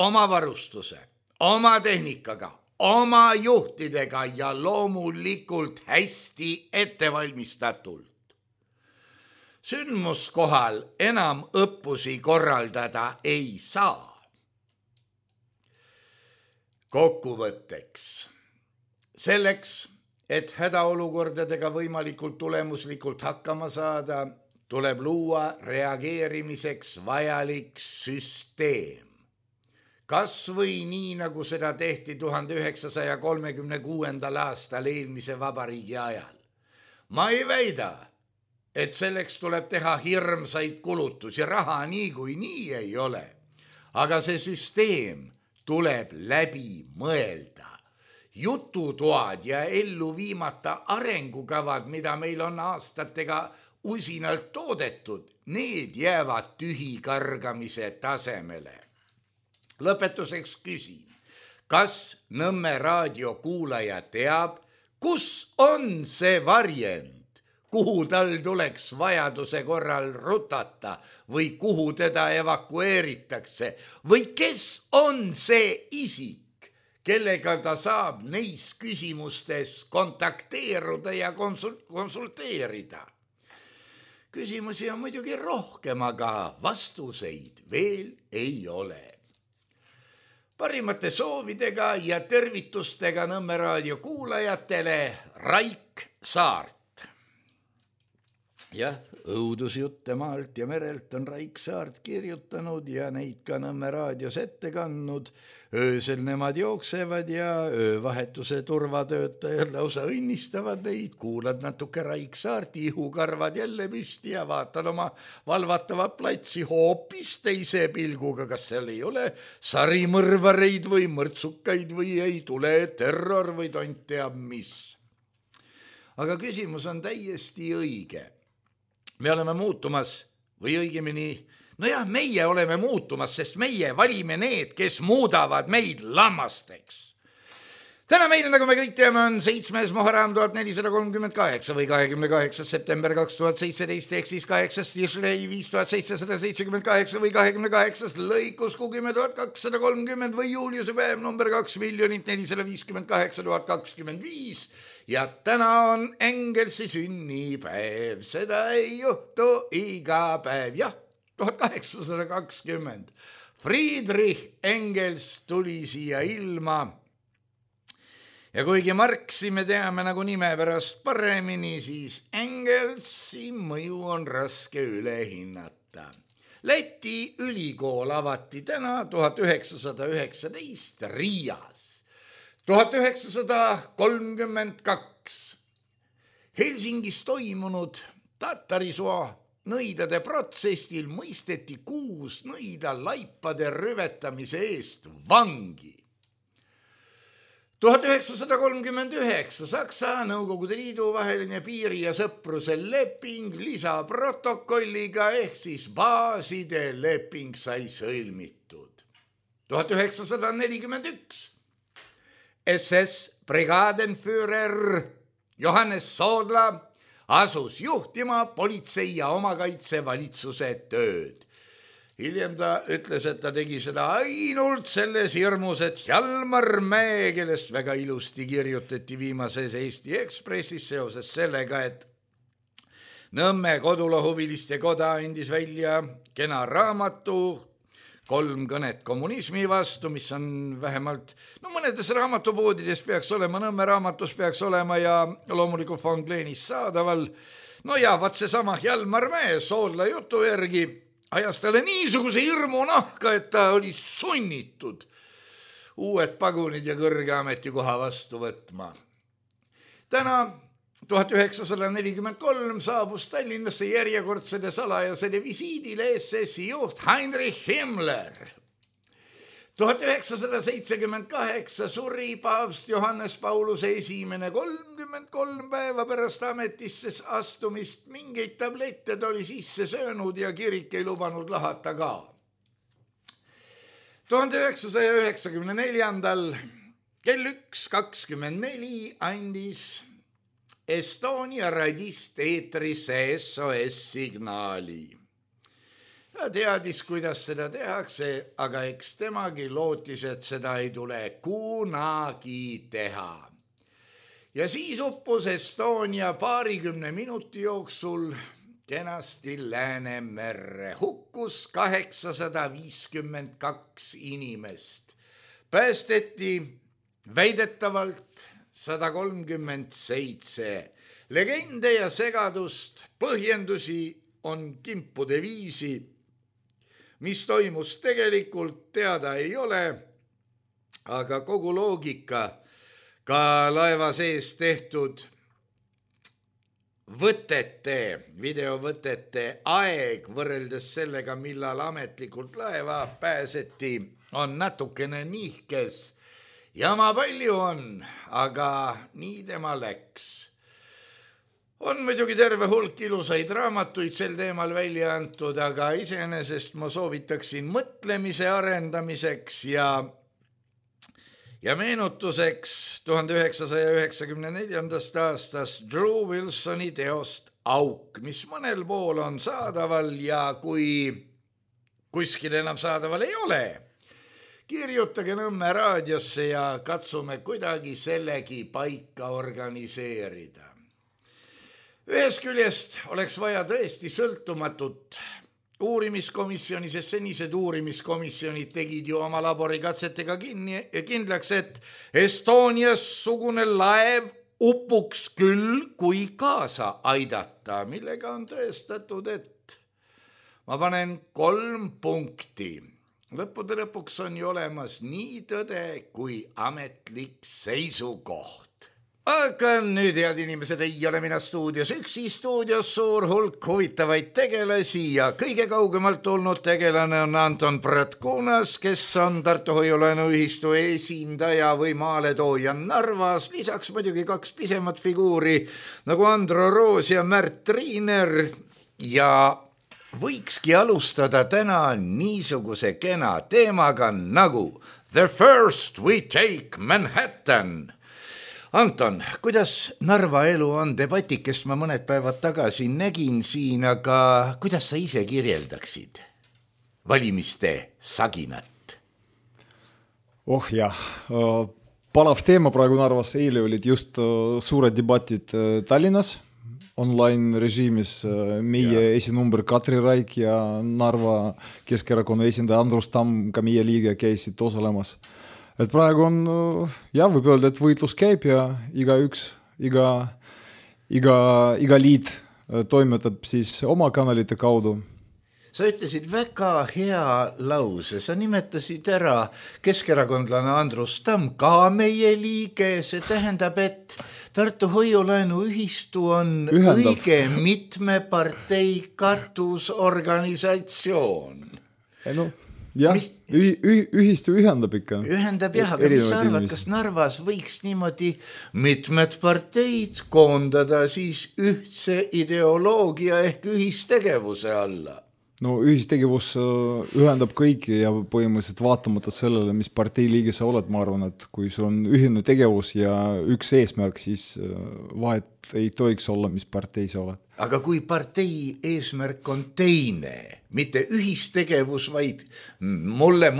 Oma varustuse, oma tehnikaga, oma juhtidega ja loomulikult hästi ettevalmistatult. Sündmuskohal enam õppusi korraldada ei saa. Kokkuvõtteks. Selleks, et hädaolukordadega võimalikult tulemuslikult hakkama saada, tuleb luua reageerimiseks vajalik süsteem. Kas või nii, nagu seda tehti 1936. aastal eelmise vabariigi ajal. ma ei väida, et selleks tuleb teha hirmsaid kulutusi, raha niikuinii ei ole. Aga see süsteem tuleb läbi mõelda. Jututoad ja ellu viimata arengukavad, mida meil on aastatega usinalt toodetud, need jäävad tühikargamise tasemele. Lõpetuseks küsin, kas Nõmme raadio kuulaja teab, kus on see varjend, kuhu tal tuleks vajaduse korral rutata või kuhu teda evakueeritakse või kes on see isik, kellega ta saab neis küsimustes kontakteeruda ja konsulteerida. Küsimusi on muidugi rohkem, aga vastuseid veel ei ole. Parimate soovidega ja tervitustega Nõmme raadio kuulajatele Raik Saart. Jah, õudusjutte maalt ja merelt on Raik Saart kirjutanud ja neid ka Nõmme raadios ette kandnud. Öösel nemad jooksevad ja öövahetuse turvatöötajad lausa õnnistavad neid. Kuulad natuke Raik Saarti, ihukarvad jälle püsti ja vaatad oma valvatavat platsi hoopis teise pilguga. Kas seal ei ole sarimõrvareid või mõrtsukaid või ei tule terror või tont teab mis. Aga küsimus on täiesti õige. Me oleme muutumas või õigemini, meie oleme muutumas, sest meie valime need, kes muudavad meid lammasteks. Täna meil, nagu me kõik teame, on 7. Muharram 1438 või 28. september 2017 ehk siis 8. Tishrei 5778 või 28. lõikus 10.230 või Juliuse päev number 2,458,025 ja täna on Engelsi sünnipäev, seda ei juhtu iga päev, jah, 1820. Friedrich Engels tuli siia ilma ja kuigi Marxi me teame nagu nime pärast paremini, siis Engelsi mõju on raske üle hinnata. Läti ülikool avati täna 1919 Riias. 1932 Helsingis toimunud Tatarisuo nõidade protsessil mõisteti 6 nõida laipade rüvetamise eest vangi. 1939 Saksa Nõukogude Liidu vaheline piiri ja sõpruse leping lisaprotokolliga ehk siis baaside leping sai sõlmitud. 1941 SS Brigadenführer Johannes Soodla asus juhtima politsei ja omakaitsevalitsuse tööd. Hiljem ta ütles, et ta tegi seda ainult selles hirmus, et Hjalmar Mäe, kellest väga ilusti kirjutati viimases Eesti Ekspressis seoses sellega, et Nõmme kodulohuviliste koda andis välja kena raamatu 3 kõnet kommunismi vastu, mis on vähemalt, mõnedes raamatupoodides peaks olema, Nõmme raamatus peaks olema ja loomulikult Von Gleenis saadaval. Vaat seesama Hjalmar Mäe Soodla jutu järgi ajas talle niisuguse hirmu nahka, et ta oli sunnitud uued pagunid ja kõrge ametikoha vastu võtma. Täna 1943 saabus Tallinnasse järjekordsele salajasele visiidile SS-i juht Heinrich Himmler. 1978 suri paavst Johannes Paulus I 33 päeva pärast ametisse astumist. Mingeid tablette ta oli sisse söönud ja kirik ei lubanud lahata ka. 1994 kell 1:24 andis Estonia radist eetrisse SOS-signaali. Ta teadis, kuidas seda tehakse, aga eks temagi lootis, et seda ei tule kunagi teha. Ja siis uppus Estonia 20 minuti jooksul kenasti Läänemerre. Hukkus 852 inimest. Päästeti väidetavalt 137. Legende ja segadust, põhjendusi on kimpude viisi. Mis toimus tegelikult, teada ei ole, aga kogu loogika, ka laeva sees tehtud videovõtete aeg võrreldes sellega, millal ametlikult laeva pääseti, on natukene nihkes. Jama palju on, aga nii tema läks. On muidugi terve hulk ilusaid raamatuid sel teemal välja antud, aga iseenesest ma soovitaksin mõtlemise arendamiseks ja meenutuseks 1994. aastast Drew Wilsoni teost Auk, mis mõnel pool on saadaval ja kui kuskil enam saadaval ei ole, kirjutage Nõmme raadiosse ja katsume kuidagi sellegi paika organiseerida. Ühest küljest oleks vaja tõesti sõltumatut uurimiskomisjoni, sest senised uurimiskomisjonid tegid ju oma laborikatsetega kindlaks, et Estonia-sugune laev upuks küll, kui kaasa aidata, millega on tõestatud, et ma panen 3 punkti. Lõppude lõpuks on ju olemas nii tõde kui ametlik seisukoht. Aga nüüd, head inimesed, ei ole mina stuudios üksi, stuudios suur hulk huvitavaid tegelasi ja kõige kaugemalt tulnud tegelane on Anton Pratkunas, kes on Tartu Hoiulaenuühistu esindaja või maaletooja Narvas, lisaks muidugi 2 pisemat figuuri nagu Andro Roos ja Märt Triiner ja võikski alustada täna niisuguse kena teemaga nagu The First We Take Manhattan. Anton, kuidas Narva elu on? Debatikest ma mõned päevad tagasi nägin siin, aga kuidas sa ise kirjeldaksid valimiste saginat? Jah, palav teema praegu Narvas. Eile olid just suured debatid Tallinnas online režiimis. Meie esinumber Katri Raik ja Narva Keskerakonna esindaja Andrus Tamm, ka meie liige, käisid osalemas. Et praegu on, võib öelda, et võitlus käib ja iga liit toimetab siis oma kanalite kaudu. Sa ütlesid väga hea lause, sa nimetasid ära keskerakondlane Andrus Tamm, ka meie liige, see tähendab, et Tartu Hoiulaenuühistu on õige mitme partei katusorganisatsioon. Jah, ühistu ühendab ikka. Ühendab jah, aga mis sa arvad, kas Narvas võiks niimoodi mitmed parteid koondada siis ühtse ideoloogia ehk ühistegevuse alla? Ühistegevus ühendab kõiki ja põhimõtteliselt vaatamata sellele, mis partei liige sa oled, ma arvan, et kui sul on ühine tegevus ja üks eesmärk, siis vahet ei tohiks olla, mis partei sa oled. Aga kui partei eesmärk on teine, mitte ühistegevus, vaid mulle,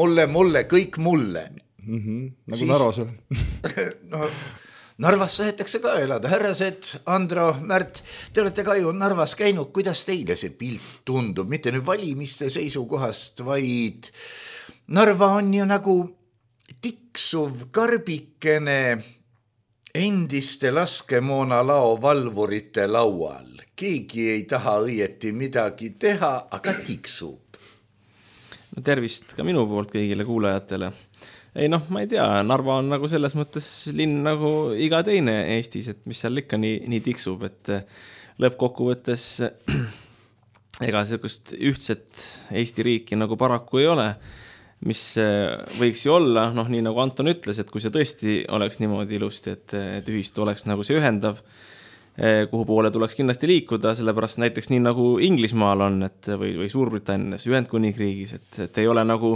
kõik mulle. Nagu siis... Narvas on. Narvas sahetakse ka elada. Härrased, Andro, Märt, te olete ka ju Narvas käinud. Kuidas teile see pilt tundub? Mitte nüüd valimiste seisukohast, vaid Narva on ju nagu tiksuv karbikene endiste laskemoonalao valvurite laual. Keegi ei taha õieti midagi teha, aga tiksub. Tervist ka minu poolt kõigile kuulajatele. Ei ma ei tea, Narva on nagu selles mõttes linn nagu iga teine Eestis, et mis seal ikka nii tiksub, et lõppkokkuvõttes ega sellist ühtset Eesti riiki nagu paraku ei ole, mis võiks ju olla, nii nagu Anton ütles, et kui see tõesti oleks niimoodi ilusti, et ühistu oleks nagu see ühendav, kuhu poole tuleks kindlasti liikuda, sellepärast näiteks nii nagu Inglismaal on, või Suurbritannias, Ühendkuningriigis, et ei ole nagu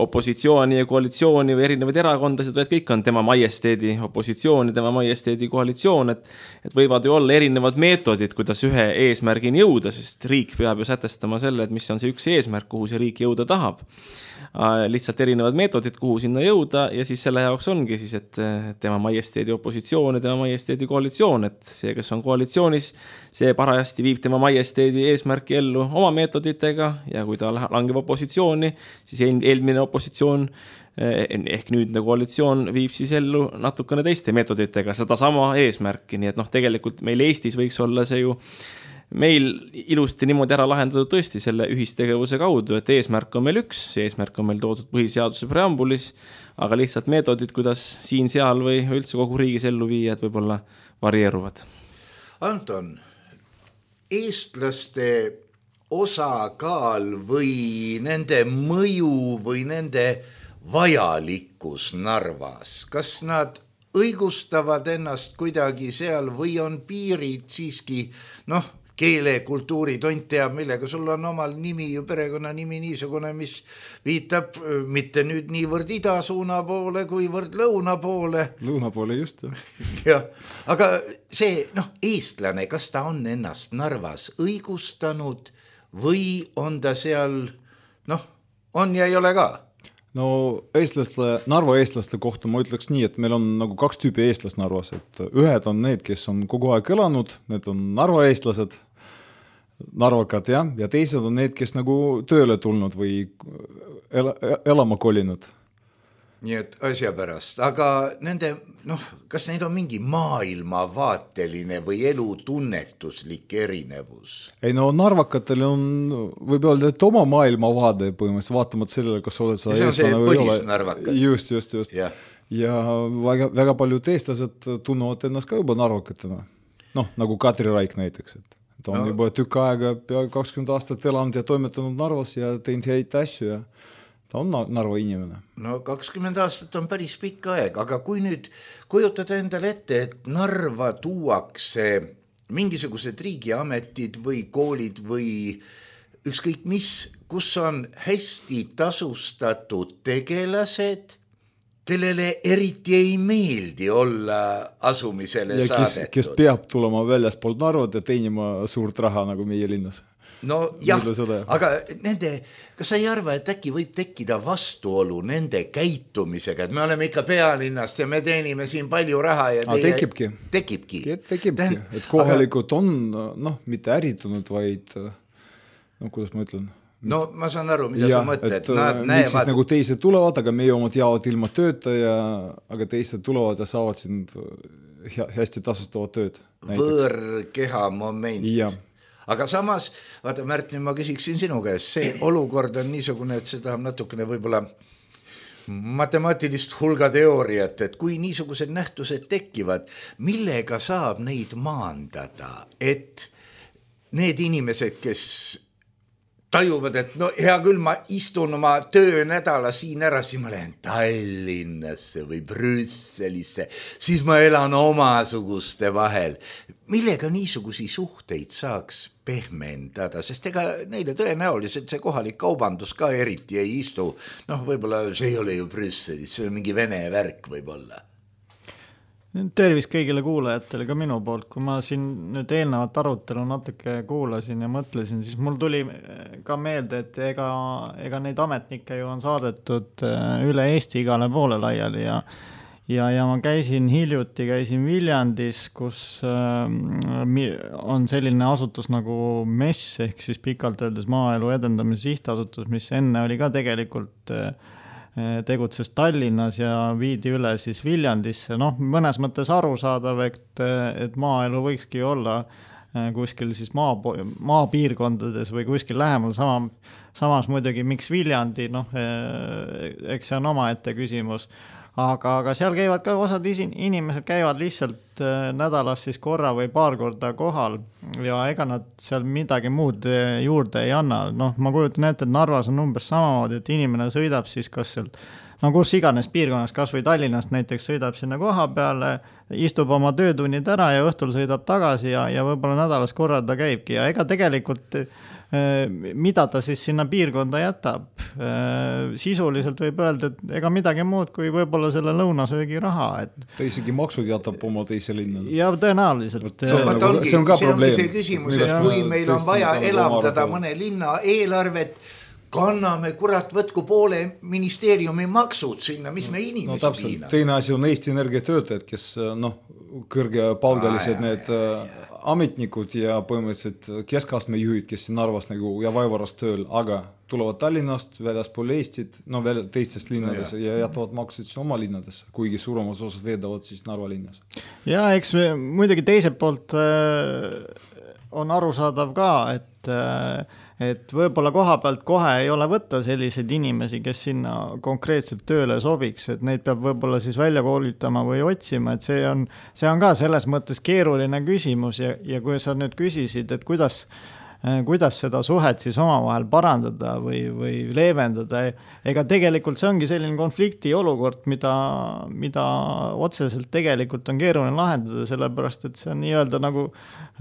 opositsiooni ja koalitsiooni või erinevaid erakondasid, vaid kõik on tema majesteedi opositsioon ja tema majesteedi koalitsioon, et võivad ju olla erinevad meetodid, kuidas ühe eesmärgini jõuda, sest riik peab ju sätestama selle, et mis on see üks eesmärk, kuhu see riik jõuda tahab. Lihtsalt erinevad meetodid, kuhu sinna jõuda ja siis selle jaoks ongi siis, et tema majesteedi opositsioon ja tema majesteedi koalitsioon, et see, kes on koalitsioonis, see parajasti viib tema majesteedi eesmärki ellu oma meetoditega ja kui ta langeb opositsiooni, siis eelmine opositsioon ehk nüüdne koalitsioon viib siis ellu natukene teiste meetoditega seda sama eesmärki, nii et tegelikult meil Eestis võiks olla see ju meil ilusti niimoodi ära lahendatud tõesti selle ühistegevuse kaudu, et eesmärk on meil üks, see eesmärk on meil toodud põhiseaduse preambulis, aga lihtsalt meetodid, kuidas siin-seal või üldse kogu riigis ellu viia, et võib-olla varieeruvad. Anton, eestlaste osakaal või nende mõju või nende vajalikkus Narvas, kas nad õigustavad ennast kuidagi seal või on piirid siiski, keele, kultuuri, tont teab, millega sul on omal nimi ju perekonnanimi niisugune, mis viitab mitte nüüd niivõrd ida suuna poole, kuivõrd lõuna poole. Lõuna poole just, jah. Aga see, eestlane, kas ta on ennast Narvas õigustanud või on ta seal, on ja ei ole ka? No Narva eestlaste kohta ma ütleks nii, et meil on nagu 2 tüüpi eestlast Narvas, et ühed on need, kes on kogu aeg elanud, need on Narva eestlased, narvakad ja teised on need, kes nagu tööle tulnud või elama kolinud. Nii et asja pärast, aga nende, kas neil on mingi maailmavaateline või elutunnetuslik erinevus? Ei narvakatel on, võib öelda, et oma maailmavaade põhimõtteliselt, vaatamata sellele, kas oled sa eestlane või ei ole. Just. Ja väga paljud eestlased tunnevad ennast ka juba narvakatena. Nagu Katri Raik näiteks, et ta on juba tükk aega, peaaegu 20 aastat elanud ja toimetanud Narvas ja teinud häid asju ja ta on Narva inimene. 20 aastat on päris pikk aeg, aga kui nüüd kujutada endale ette, et Narva tuuakse mingisugused riigiametid või koolid või ükskõik mis, kus on hästi tasustatud tegelased, kellele eriti ei meeldi olla asumisele ja saadetud. Kes peab tulema väljaspool Narvat ja teenima suurt raha nagu meie linnas. Jah, aga kas sa ei arva, et äkki võib tekkida vastuolu nende käitumisega, et me oleme ikka pealinnast ja me teenime siin palju raha ja Tekibki, et kohalikud on mitte äritunud, vaid kuidas ma ütlen? Ma saan aru, mida sa mõtled. Et miks siis nagu teised tulevad, aga meie omad jäävad ilma tööta, aga teised tulevad ja saavad siin hästi tasustavat tööd. Võõrkeha moment. Ja. Aga samas, vaata Märt, nüüd ma küsiksin sinu käest, see olukord on niisugune, et see tahab natukene võib-olla matemaatilist hulgateooriat, et kui niisugused nähtused tekivad, millega saab neid maandada, et need inimesed, kes tajuvad, et hea küll, ma istun oma töönädala siin ära, siis ma lähen Tallinnasse või Brüsselisse, siis ma elan omasuguste vahel. Millega niisugusi suhteid saaks pehmendada, sest ega neile tõenäoliselt see kohalik kaubandus ka eriti ei istu. Võib-olla see ei ole ju Brüsselis, see on mingi vene värk võib-olla. Tervist kõigile kuulajatele ka minu poolt, kui ma siin nüüd eelnevat arutelu natuke kuulasin ja mõtlesin, siis mul tuli ka meelde, et ega neid ametnikke ju on saadetud üle Eesti igale poole laiali ja ma käisin Viljandis, kus on selline asutus nagu MES ehk siis pikalt öeldes Maaelu Edendamise Sihtasutus, mis enne oli ka tegelikult tegutses Tallinnas ja viidi üle siis Viljandisse. Mõnes mõttes arusaadav, et maaelu võikski olla kuskil siis maapiirkondades või kuskil lähemal. Samas muidugi, miks Viljandi, eks see on omaette küsimus. Aga seal käivad ka osad inimesed käivad lihtsalt nädalas siis korra või paar korda kohal ja ega nad seal midagi muud juurde ei anna. Ma kujutan ette, et Narvas on umbes samamoodi, et inimene sõidab siis kas sealt, kus iganes piirkonnas, kas või Tallinnast näiteks sõidab sinna koha peale, istub oma töötunnid ära ja õhtul sõidab tagasi ja võib-olla nädalas korra ta käibki ja ega tegelikult mida ta siis sinna piirkonda jätab. Sisuliselt võib öelda, et ega midagi muud kui võib-olla selle lõunasöögi raha. Ta isegi maksud jätab oma teise linna. Ja tõenäoliselt. See on ka probleem. See küsimus, et kui meil on vaja elavdada mõne linna eelarvet, kanname võtku poole ministeeriumi maksud sinna, mis me inimesi piina. Teine asi on Eesti Energia töötajad, kes kõrgepalgalised need ametnikud ja põhimõtteliselt keskastme juhid, kes siin Narvas ja Vaivaras tööl, aga tulevad Tallinnast, väljaspool Eestit, teistest linnades ja jätavad maksud oma linnades, kuigi suuremas osas veedavad siis Narva linnas. Ja eks muidugi teiselt poolt on arusaadav ka, et võib-olla koha pealt kohe ei ole võtta selliseid inimesi, kes sinna konkreetselt tööle sobiks, et neid peab võib-olla siis välja koolitama või otsima, et see on ka selles mõttes keeruline küsimus ja kui sa nüüd küsisid, et kuidas seda suhet siis omavahel parandada või leevendada, ega tegelikult see ongi selline konflikti olukord, mida otseselt tegelikult on keeruline lahendada, sellepärast, et see on nii-öelda nagu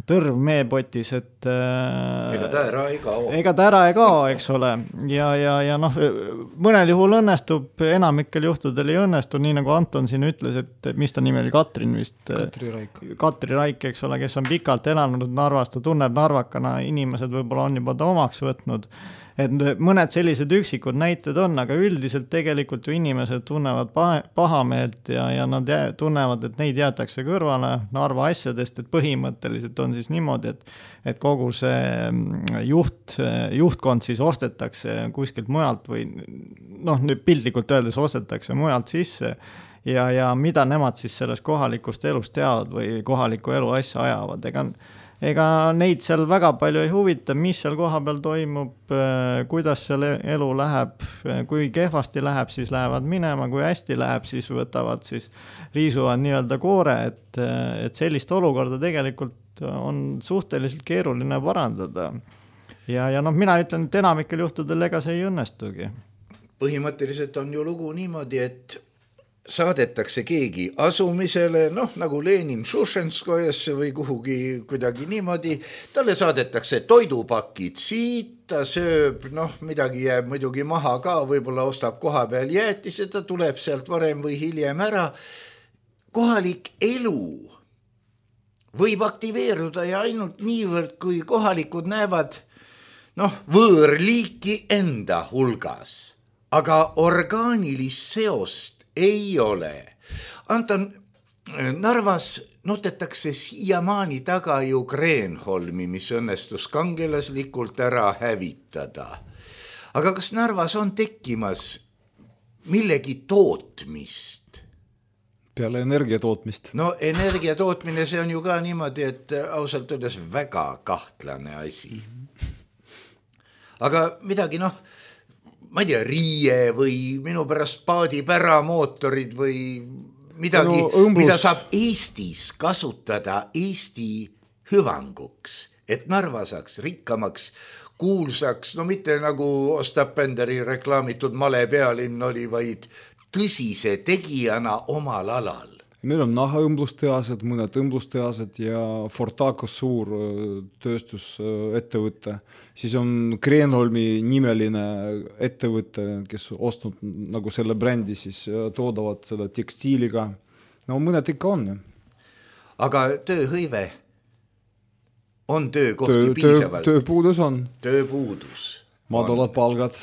tõrv meepotis, et ega ta ära ei kao, eks ole, ja noh, mõnel juhul õnnestub, enamikel juhtudel ei õnnestu, nii nagu Anton siin ütles, et mis ta nimi oli, Katri Raik, eks ole, kes on pikalt elanud Narvas, ta tunneb narvakana, inimesed võib-olla on juba ta omaks võtnud, et mõned sellised üksikud näited on, aga üldiselt tegelikult ju inimesed tunnevad pahameelt ja nad tunnevad, et neid jäetakse kõrvale Narva asjadest, et põhimõtteliselt on siis niimoodi, et kogu see juhtkond siis ostetakse kuskilt mujalt või noh, nüüd piltlikult öeldes ostetakse mujalt sisse ja mida nemad siis sellest kohalikust elust teavad või kohaliku elu asja ajavad, ega neid seal väga palju ei huvita, mis seal koha peal toimub, kuidas seal elu läheb, kui kehvasti läheb, siis lähevad minema, kui hästi läheb, siis võtavad, siis riisuvad nii-öelda koore, et sellist olukorda tegelikult on suhteliselt keeruline parandada. Ja noh, mina ütlen, et enamikel juhtudel ega see ei õnnestugi. Põhimõtteliselt on ju lugu niimoodi, et saadetakse keegi asumisele, noh nagu Lenin Šušenskojasse või kuhugi kuidagi niimoodi, talle saadetakse toidupakid siit, ta sööb, noh midagi jääb muidugi maha ka, võib-olla ostab koha peal jäätise, ta tuleb sealt varem või hiljem ära. Kohalik elu võib aktiveeruda ja ainult niivõrd, kui kohalikud näevad võõrliiki enda hulgas, aga orgaanilist seost ei ole. Anton, Narvas notetakse siiamaani taga ju Kreenholmi, mis õnnestus kangelaslikult ära hävitada. Aga kas Narvas on tekkimas millegi tootmist? Peale energia tootmist. No energia tootmine, see on ju ka niimoodi, et ausalt öeldes väga kahtlane asi. Aga midagi ma ei tea, riie või minu pärast paadipäramootorid või midagi, mida saab Eestis kasutada Eesti hüvanguks, et Narva saaks rikkamaks, kuulsaks, no mitte nagu Ostap Benderi reklaamitud male pealinn oli, vaid tõsise tegijana omal alal. Meil on nahaõmblustehased, mõned õmblustehased ja Fortacos suur tööstusettevõte. Siis on Kreenholmi nimeline ettevõte, kes ostnud nagu selle brändi, siis toodavad seda tekstiiliga. No mõned ikka on. Aga tööhõive on töökohti piisavalt? Tööpuudus on. Tööpuudus. Madalad palgad.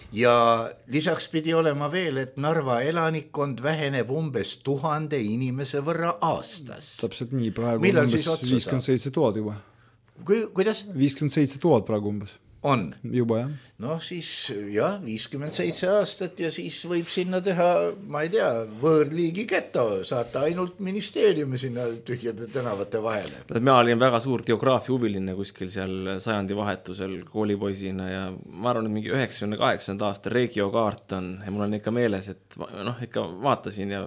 Ja lisaks pidi olema veel, et Narva elanikkond väheneb umbes 1000 inimese võrra aastas. Täpselt nii, praegu on umbes 57 000 juba. Kuidas? 57 000 praegu umbes. On? Juba, jah. No siis, jah, 57 aastat ja siis võib sinna teha, ma ei tea, võõrliigi geto, saata ainult ministeeriumi sinna tühjade tänavate vahele. Mina olin väga suur geograafia huviline kuskil seal sajandi vahetusel koolipoisina ja ma arvan, et mingi 98. aasta regiokaart on ja mul on ikka meeles, et ikka vaatasin ja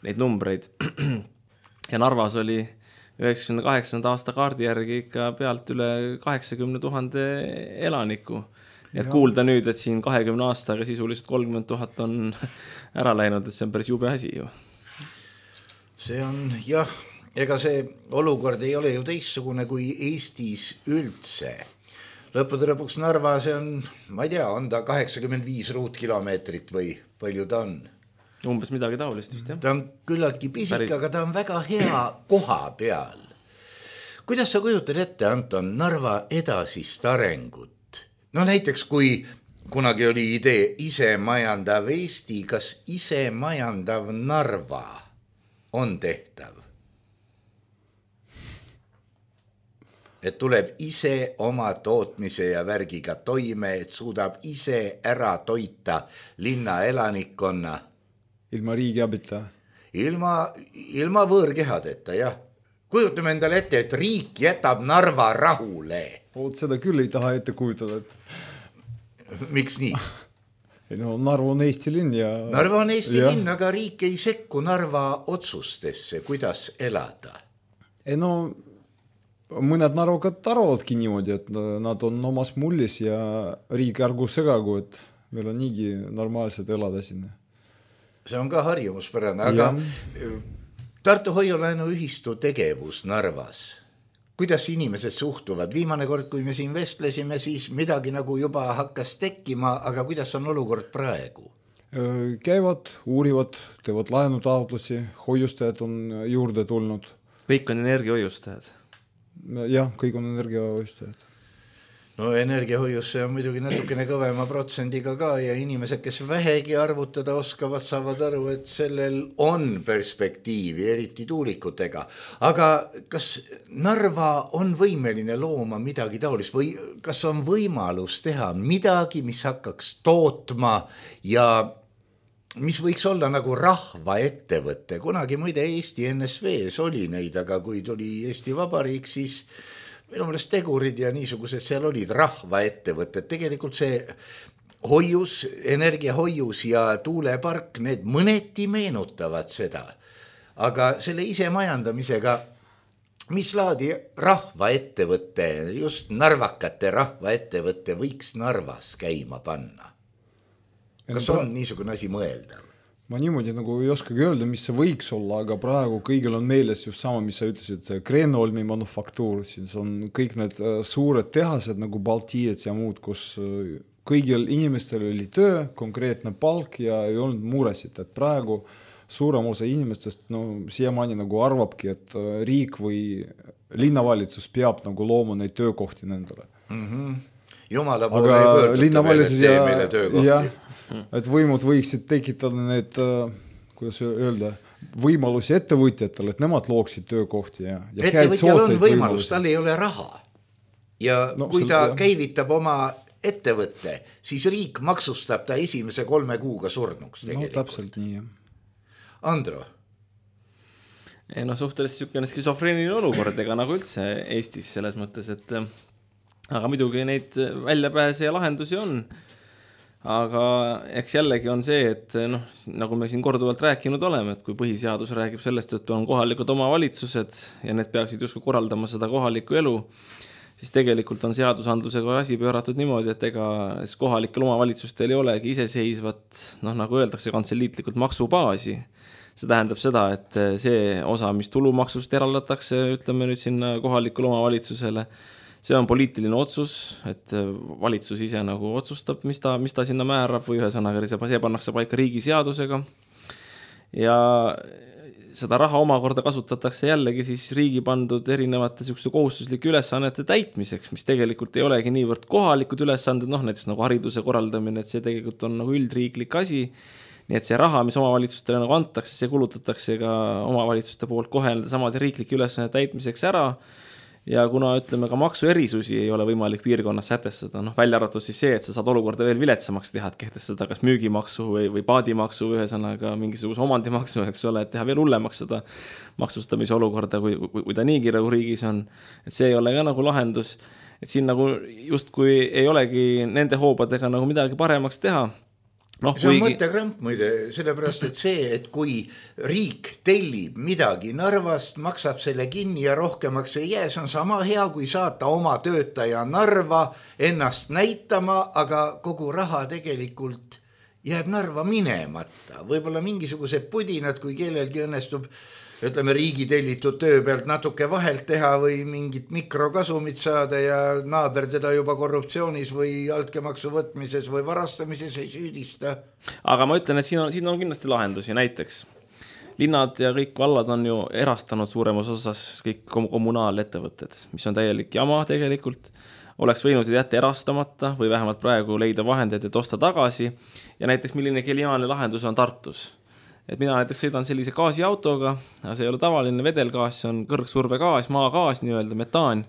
neid numbreid ja Narvas oli 98. aasta kaardi järgi ikka pealt üle 80 000 elaniku. Et kuulda nüüd, et siin 20 aastaga sisuliselt 30 000 on ära läinud, et see on päris jube asi ju. See on, jah, ega see olukord ei ole ju teistsugune kui Eestis üldse. Lõppude lõpuks Narva, see on, ma ei tea, on ta 85 ruutkilomeetrit või palju ta on? Umbes midagi taolist vist, jah. Ta on küllaltki pisik, aga ta on väga hea koha peal. Kuidas sa kujutad ette, Anton, Narva edasist arengut? No näiteks, kui kunagi oli idee isemajandav Eesti, kas isemajandav Narva on tehtav? Et tuleb ise oma tootmise ja värgiga toime, et suudab ise ära toita linna elanikkonna. Ilma riigi abita? Ilma võõrkehadeta, jah. kujutame endale ette, et riik jätab Narva rahule. Oot, seda küll ei taha ette kujutada, et... Miks nii? No, Narva on Eesti linn ja... Narva on Eesti linn, aga riik ei sekku Narva otsustesse, kuidas elada. No, mõned narvakad arvavadki niimoodi, et nad on omas mullis ja riik ärgu segagu, et meil on niigi normaalselt elada sinna. See on ka harjumuspärane, aga Tartu Hoiu-laenu ühistu tegevus Narvas, kuidas inimesed suhtuvad? Viimane kord, kui me siin vestlesime, siis midagi nagu juba hakkas tekkima, aga kuidas on olukord praegu? Käivad, uurivad, teevad laenutaotlusi, hoiustajad on juurde tulnud. Kõik on energiahoiustajad. Jah, kõik on energiahoiustajad. No energiahoiusse on muidugi natukene kõvema protsendiga ka ja inimesed, kes vähegi arvutada oskavad, saavad aru, et sellel on perspektiivi, eriti tuulikutega. Aga kas Narva on võimeline looma midagi taolist või kas on võimalus teha midagi, mis hakkaks tootma ja mis võiks olla nagu rahvaettevõtte? Kunagi muide Eesti NSV-s oli neid, aga kui tuli Eesti Vabariik, siis minu meelest tegurid ja niisugused seal olid rahvaettevõtted. Tegelikult see hoius, energiahoius ja tuulepark, need mõneti meenutavad seda. Aga selle ise majandamisega, mis laadi rahvaettevõtte, just narvakate rahvaettevõtte võiks Narvas käima panna? Kas on niisugune asi mõeldav? Ma niimoodi nagu ei oskagi öelda, mis see võiks olla, aga praegu kõigil on meeles just sama, mis sa ütlesid, see Kreenholmi manufaktuur, siis on kõik need suured tehased nagu Baltiets ja muud, kus kõigil inimestel oli töö, konkreetne palk ja ei olnud muresid, et praegu suurem osa inimestest siiamaani nagu arvabki, et riik või linnavalitsus peab nagu looma neid töökohti nendele. Jumala poole ei pöörduta veel, et tee meile töökohti. Et võimud võiksid tekitada need, kuidas öelda, võimalusi ettevõtjatele, et nemad looksid töökohti ja ettevõtjal on võimalus, tal ei ole raha. Ja kui ta käivitab oma ettevõtte, siis riik maksustab ta esimese 3 kuuga surnuks tegelikult. Täpselt nii, jah. Andro? Suhteliselt niisugune skisofreeniline olukord, ega nagu üldse Eestis selles mõttes, et aga muidugi neid väljapääse ja lahendusi on. Aga eks jällegi on see, et nagu me siin korduvalt rääkinud oleme, et kui põhiseadus räägib sellest, et on kohalikud omavalitsused ja need peaksid justkui korraldama seda kohalikku elu, siis tegelikult on seadusandlusega asi pööratud niimoodi, et ega kohalikel omavalitsustel ei olegi iseseisvat, nagu öeldakse kantseliitlikult maksubaasi. See tähendab seda, et see osa, mis tulumaksust eraldatakse, ütleme nüüd sinna kohalikule omavalitsusele, see on poliitiline otsus, et valitsus ise nagu otsustab, mis ta sinna määrab või ühesõnaga see pannakse paika riigiseadusega. Ja seda raha omakorda kasutatakse jällegi siis riigi pandud erinevate kohustuslike ülesannete täitmiseks, mis tegelikult ei olegi niivõrd kohalikud ülesanded, näiteks nagu hariduse korraldamine, et see tegelikult on nagu üldriiklik asi. Nii et see raha, mis omavalitsustele nagu antakse, see kulutatakse ka omavalitsuste poolt kohe samade riiklike ülesannete täitmiseks ära. Ja kuna ütleme ka maksuerisusi ei ole võimalik piirkonnas sätestada, välja arvatud siis see, et sa saad olukorda veel viletsamaks teha, et kehtestada kas müügimaksu või paadimaksu või ühesõnaga mingisuguse omandimaksu, eks ole, et teha veel hullemaks seda maksustamise olukorda, kui ta niigi nagu riigis on. Et see ei ole ka nagu lahendus, et siin nagu justkui ei olegi nende hoobadega nagu midagi paremaks teha. See on mõttekramp muide, sellepärast, et see, et kui riik tellib midagi Narvast, maksab selle kinni ja rohkemaks ei jää, see on sama hea, kui saata oma töötaja Narva ennast näitama, aga kogu raha tegelikult jääb Narva minemata. Võib-olla mingisugused pudinad, kui kellelgi õnnestub, ütleme, riigi tellitud töö pealt natuke vahelt teha või mingit mikrokasumit saada ja naaber teda juba korruptsioonis või altkäemaksu võtmises või varastamises ei süüdista. Aga ma ütlen, et siin on kindlasti lahendusi, näiteks linnad ja kõik vallad on ju erastanud suuremas osas kõik kommunaalettevõtted, mis on täielik jama tegelikult. Oleks võinud jätta erastamata või vähemalt praegu leida vahendeid, et osta tagasi ja näiteks milline geniaalne lahendus on Tartus. Et mina näiteks sõidan sellise gaasiautoga, see ei ole tavaline vedelgaas, see on kõrgsurvegaas, maagaas, nii-öelda metaan.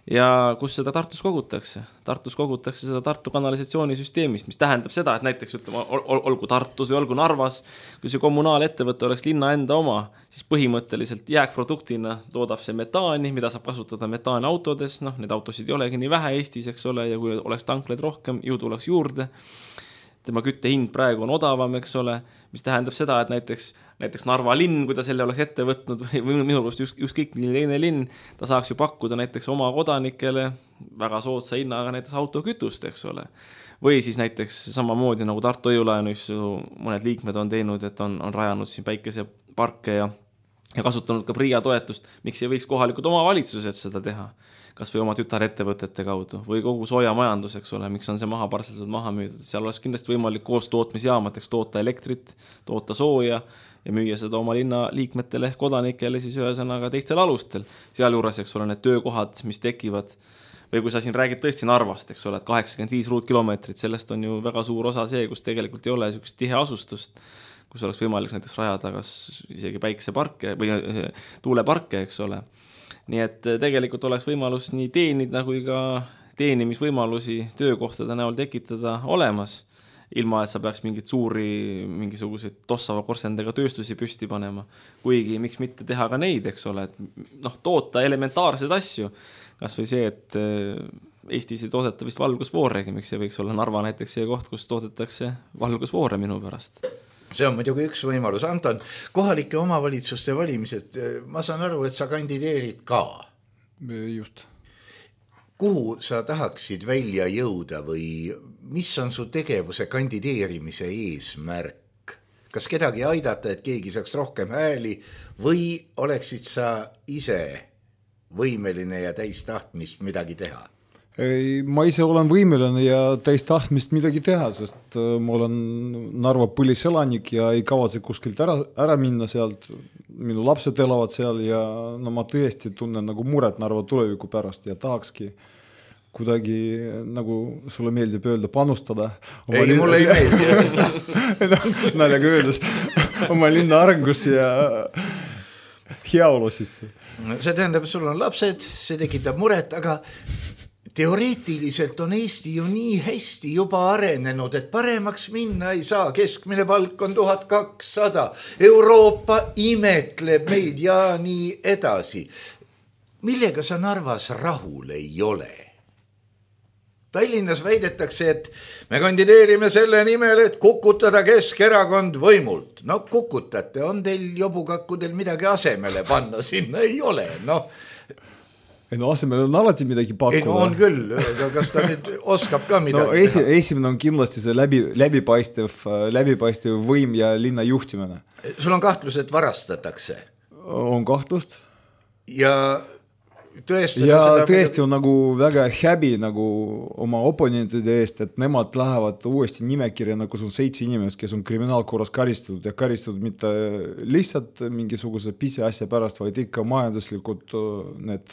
ja kus seda Tartus kogutakse. Tartus kogutakse seda Tartu kanalisatsioonisüsteemist, mis tähendab seda, et näiteks ütleme, olgu Tartus või olgu Narvas, kui see kommunaalettevõte oleks linna enda oma, siis põhimõtteliselt jääkproduktina toodab see metaani, mida saab kasutada metaanautodes, need autosid ei olegi nii vähe Eestis, eks ole, ja kui oleks tanklaid rohkem, ju tuleks juurde. Tema küttehind praegu on odavam, eks ole, mis tähendab seda, et näiteks Narva linn, kui ta selle oleks ette võtnud või minu arust ükskõik milline teine linn, ta saaks ju pakkuda näiteks oma kodanikele väga soodsa hinnaga näiteks autokütust, eks ole. Või siis näiteks samamoodi nagu Tartu Õjulaenus mõned liikmed on teinud, et on rajanud siin päikeseparke ja kasutanud ka PRIA toetust, miks ei võiks kohalikud omavalitsused seda teha, kas või oma tütarettevõtete kaudu või kogu soojamajandus, eks ole, miks on see parseldatud maha müüdud. Seal oleks kindlasti võimalik koos tootmisjaamateks toota elektrit, toota sooja ja müüa seda oma linna liikmetele ehk kodanikele siis ühesõnaga teistel alustel. Sealjuures, eks ole, need töökohad, mis tekivad, või kui sa siin räägid tõesti Narvast, eks ole, et 85 ruutkilomeetrit, sellest on ju väga suur osa see, kus tegelikult ei ole niisugust tihe asustust, kus oleks võimalik näiteks rajada kas isegi päikeseparke või tuuleparke, eks ole. Nii et tegelikult oleks võimalus nii teenida kui ka teenimisvõimalusi töökohtade näol tekitada olemas, ilma et sa peaks mingisuguseid tossava korsendega tööstusi püsti panema. Kuigi miks mitte teha ka neid, eks ole, et toota elementaarseid asju, kas või see, et Eestis ei toodeta vist valgusvooregi, miks see võiks olla Narva näiteks see koht, kus toodetakse valgusvoore minu pärast. See on muidugi üks võimalus. Anton, kohalike omavalitsuste valimised, ma saan aru, et sa kandideerid ka. Just. Kuhu sa tahaksid välja jõuda või mis on su tegevuse kandideerimise eesmärk? Kas kedagi aidata, et keegi saaks rohkem hääli või oleksid sa ise võimeline ja täis tahtmist midagi teha? Ma ise olen võimeline ja täis tahtmist midagi teha, sest ma olen Narva põliselanik ja ei kavatse kuskilt ära minna sealt. Minu lapsed elavad seal ja ma tõesti tunnen nagu muret Narva tuleviku pärast ja tahakski kuidagi, nagu sulle meeldib öelda, panustada. Ei, mulle ei meeldi. Naljaga öeldes oma linna arengusse ja heaolu sisse. See tähendab, et sul on lapsed, see tekitab muret, aga teoreetiliselt on Eesti ju nii hästi juba arenenud, et paremaks minna ei saa. Keskmine palk on 1200. Euroopa imetleb meid ja nii edasi. Millega sa Narvas rahul ei ole? Tallinnas väidetakse, et me kandideerime selle nimel, et kukutada Keskerakond võimult. No kukutate, on teil jobukakkudel midagi asemele panna, sinna ei ole, asemel on alati midagi pakkuda. On küll, aga kas ta nüüd oskab ka midagi teha? Esimene on kindlasti see läbipaistev võim ja linna juhtimine. Sul on kahtlus, et varastatakse? On kahtlust. Ja tõesti on nagu väga häbi nagu oma oponentide eest, et nemad lähevad uuesti nimekirja, nagu sul 7 inimest, kes on kriminaalkorras karistatud ja karistatud mitte lihtsalt mingisuguse pisiasja pärast, vaid ikka majanduslikud need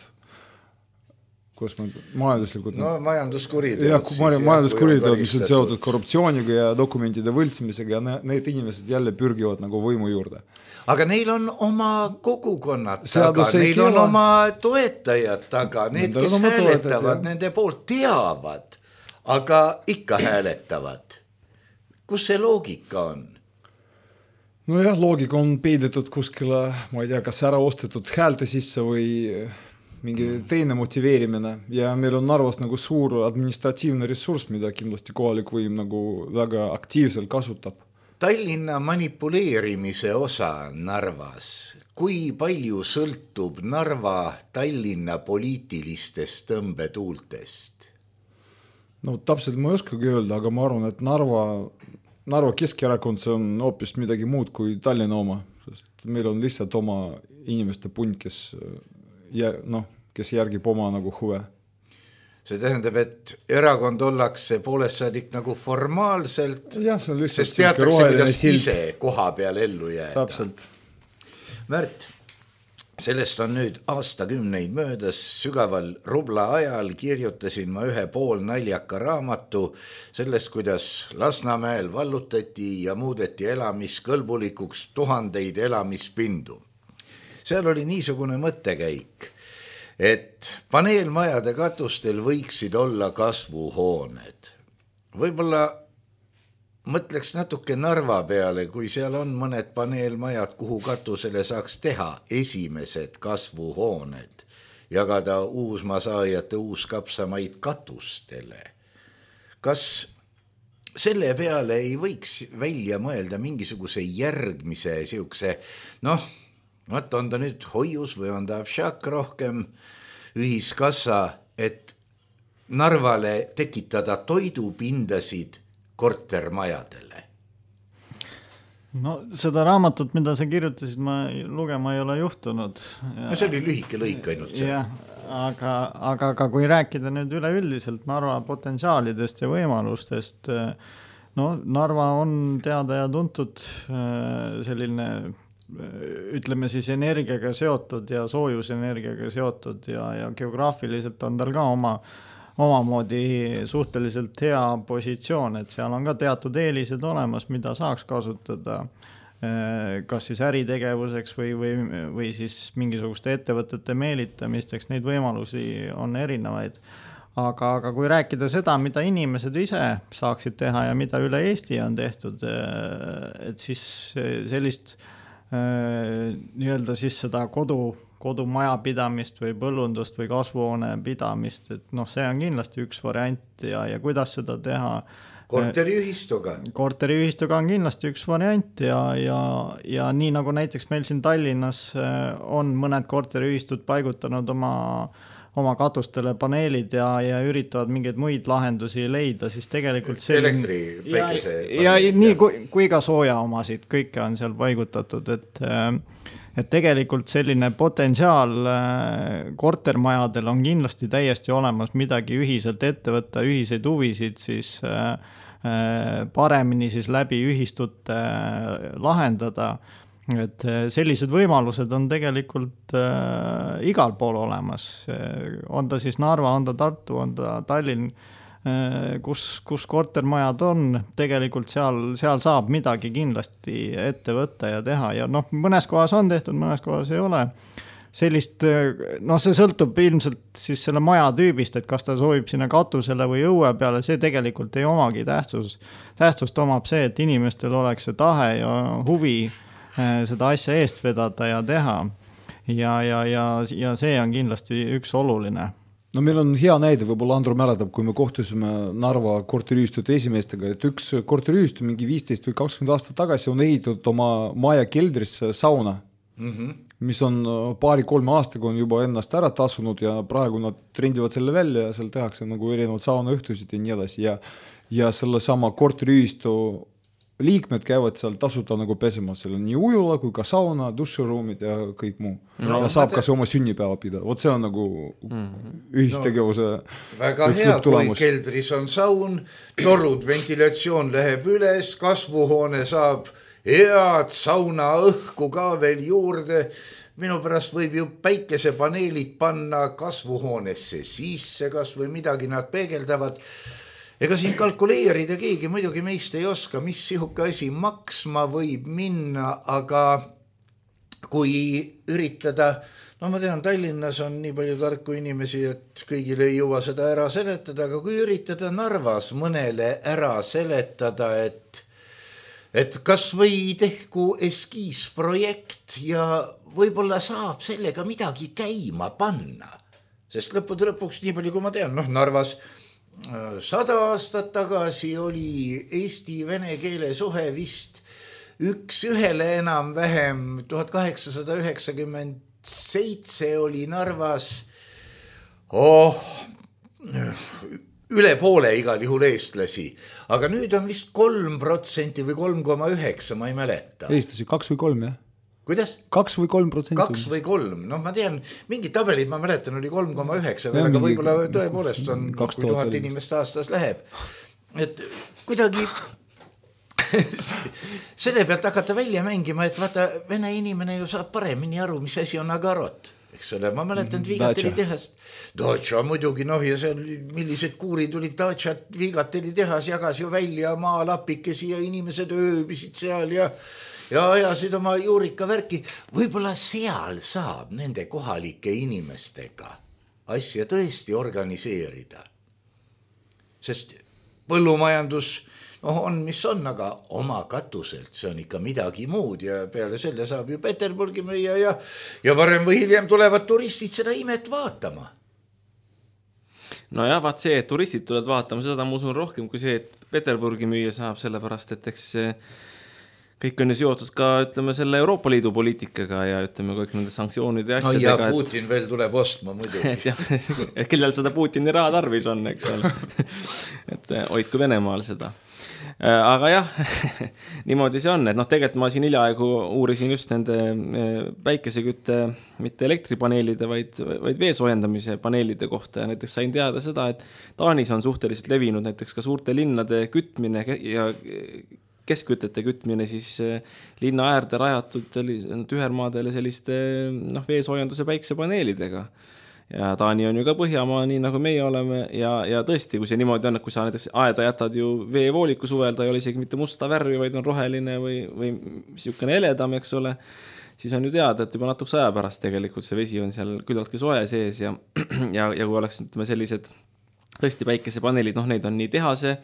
majanduslikud majanduskuriteod, mis on seotud korruptsiooniga ja dokumentide võltsimisega ja need inimesed jälle pürgivad nagu võimu juurde. Aga neil on oma kogukonnad taga, neil on oma toetajad taga, need, kes hääletavad, nende poolt teavad, aga ikka hääletavad. Kus see loogika on? Nojah, loogika on peidetud kuskile, ma ei tea, kas ära ostetud häälte sisse või mingi teine motiveerimine ja meil on Narvas nagu suur administratiivne ressurss, mida kindlasti kohalik võim nagu väga aktiivselt kasutab. Tallinna manipuleerimise osa Narvas, kui palju sõltub Narva Tallinna poliitilistest tõmbetuultest? No täpselt ma ei oskagi öelda, aga ma arvan, et Narva Keskerakond see on hoopis midagi muud kui Tallinna oma, sest meil on lihtsalt oma inimeste punt, kes järgib oma nagu huve. See tähendab, et erakond ollakse poolest saadik nagu formaalselt, sest teatakse, kuidas ise koha peal ellu jääda. Täpselt. Märt, sellest on nüüd aastakümneid möödas, sügaval rubla ajal kirjutasin ma ühe poolnaljaka raamatu sellest, kuidas Lasnamäel vallutati ja muudeti elamiskõlbulikuks 1000 elamispindu. Seal oli niisugune mõttekäik. et paneelmajade katustel võiksid olla kasvuhooned. Võib-olla mõtleks natuke Narva peale, kui seal on mõned paneelmajad, kuhu katusele saaks teha esimesed kasvuhooned, jagada uusmasaajate uuskapsamaid katustele. Kas selle peale ei võiks välja mõelda mingisuguse järgmise siukse, on ta nüüd hoius või on ta však rohkem ühiskassa, et Narvale tekitada toidupindasid kortermajadele? No seda raamatut, mida sa kirjutasid, ma lugema ei ole juhtunud. No see oli lühike lõik ainult see. Ja, aga kui rääkida nüüd üleüldiselt Narva potentsiaalidest ja võimalustest, Narva on teada ja tuntud selline, ütleme siis energiaga seotud ja soojusenergiaga seotud ja geograafiliselt on tal ka omamoodi suhteliselt hea positsioon, et seal on ka teatud eelised olemas, mida saaks kasutada kas siis äritegevuseks või siis mingisuguste ettevõtete meelitamisteks, neid võimalusi on erinevaid. Aga kui rääkida seda, mida inimesed ise saaksid teha ja mida üle Eesti on tehtud, et siis sellist nii-öelda siis seda kodumajapidamist või põllundust või kasvuhoone pidamist, et see on kindlasti üks variant ja kuidas seda teha. Korteriühistuga on kindlasti üks variant ja nii nagu näiteks meil siin Tallinnas on mõned korteriühistud paigutanud oma katustele paneelid ja üritavad mingeid muid lahendusi leida, siis tegelikult elektri, päikese ja nii kui ka sooja omasid, kõike on seal paigutatud, et tegelikult selline potentsiaal kortermajadel on kindlasti täiesti olemas midagi ühiselt ette võtta, ühiseid huvisid siis paremini siis läbi ühistute lahendada. Et sellised võimalused on tegelikult igal pool olemas. On ta siis Narva, on ta Tartu, on ta Tallinn, kus kortermajad on, tegelikult seal saab midagi kindlasti ette võtta ja teha ja mõnes kohas on tehtud, mõnes kohas ei ole. Sellist, see sõltub ilmselt siis selle maja tüübist, et kas ta soovib sinna katusele või õue peale, see tegelikult ei omagi tähtsust. Tähtsust omab see, et inimestel oleks see tahe ja huvi seda asja eest vedada ja teha. Ja see on kindlasti üks oluline. No meil on hea näide, võib-olla Andru mäletab, kui me kohtusime Narva korteriühistute esimeestega, et üks korteriühistu mingi 15 või 20 aastat tagasi on ehitatud oma maja keldrisse sauna, mis on 2-3 aastaga on juba ennast ära tasunud ja praegu nad trendivad selle välja ja seal tehakse nagu erinevad saunaõhtusid ja nii edasi ja selle sama korteriühistu liikmed käivad seal tasuta nagu pesema, seal on nii ujula kui ka sauna, duširuumid ja kõik muu. Ja saab kas oma sünnipäeva pida. Vot see on nagu ühistegevuse väga hea, kui keldris on saun, torud, ventilatsioon läheb üles, kasvuhoone saab head sauna õhku ka veel juurde. Minu pärast võib ju päikesepaneelid panna kasvuhoonesse sisse, kas või midagi nad peegeldavad. Ega siin kalkuleerida keegi muidugi meist ei oska, mis sihuke asi maksma võib minna, aga kui üritada, ma tean, Tallinnas on nii palju tarku inimesi, et kõigile ei jõua seda ära seletada, aga kui üritada Narvas mõnele ära seletada, et kas või tehku eskiisprojekt ja võib-olla saab sellega midagi käima panna, sest lõpuks nii palju, kui ma tean, Narvas 100 aastat tagasi oli eesti-vene keele suhe vist 1:1 enam-vähem, 1897 oli Narvas üle poole igal juhul eestlasi, aga nüüd on vist 3% või 3,9, ma ei mäleta. Eestlasi 2 või 3, jah? Kuidas? 2 või 3%. 2 või 3. Ma tean, mingid tabelid ma mäletan oli 3,9, aga võib-olla tõepoolest on, kui 1000 inimest aastas läheb. Et kuidagi selle pealt hakata välja mängima, et vaata, vene inimene ju saab paremini aru, mis asi on agarot. Eks ole, ma mäletan Viigateli tehast. Dacia muidugi, ja seal millised kuurid olid Daciat, Viigateli tehas jagas ju välja maalapikesi ja inimesed ööbisid seal ja ajasid oma juurika värki. Võib-olla seal saab nende kohalike inimestega asja tõesti organiseerida. Sest põllumajandus on, mis on, aga oma katuselt, see on ikka midagi muud ja peale selle saab ju Peterburgi müüa ja varem või hiljem tulevad turistid seda imet vaatama. No jah, vaat see, et turistid tulevad vaatama, seda ma usun rohkem kui see, et Peterburgi müüa saab, sellepärast, et eks see kõik on ju seotud ka, ütleme, selle Euroopa Liidu poliitikaga ja ütleme kõik nende sanktsioonide asjadega. Ja Putin veel tuleb ostma muidugi. Et kellel seda Putini raha tarvis on, eks ole. Et hoidku Venemaal seda. Aga jah, niimoodi see on, et tegelikult ma siin hiljaaegu uurisin just nende päikesekütte, mitte elektripaneelide, vaid veesoojendamise paneelide kohta ja näiteks sain teada seda, et Taanis on suhteliselt levinud näiteks ka suurte linnade kütmine ja keskkütete kütmine siis linna äärde rajatud tühermaadele selliste veesoojenduse päiksepaneelidega. Ja Taani on ju ka Põhjamaa, nii nagu meie oleme ja tõesti, kui see niimoodi on, et kui sa näiteks aeda jätad ju veevooliku suvel, ta ei ole isegi mitte musta värvi, vaid on roheline või siukene eledam, eks ole, siis on ju teada, et juba natuks aja pärast tegelikult see vesi on seal küllaltki soe sees ja kui oleks ütleme sellised tõesti päikesepaneelid, neid on nii tehase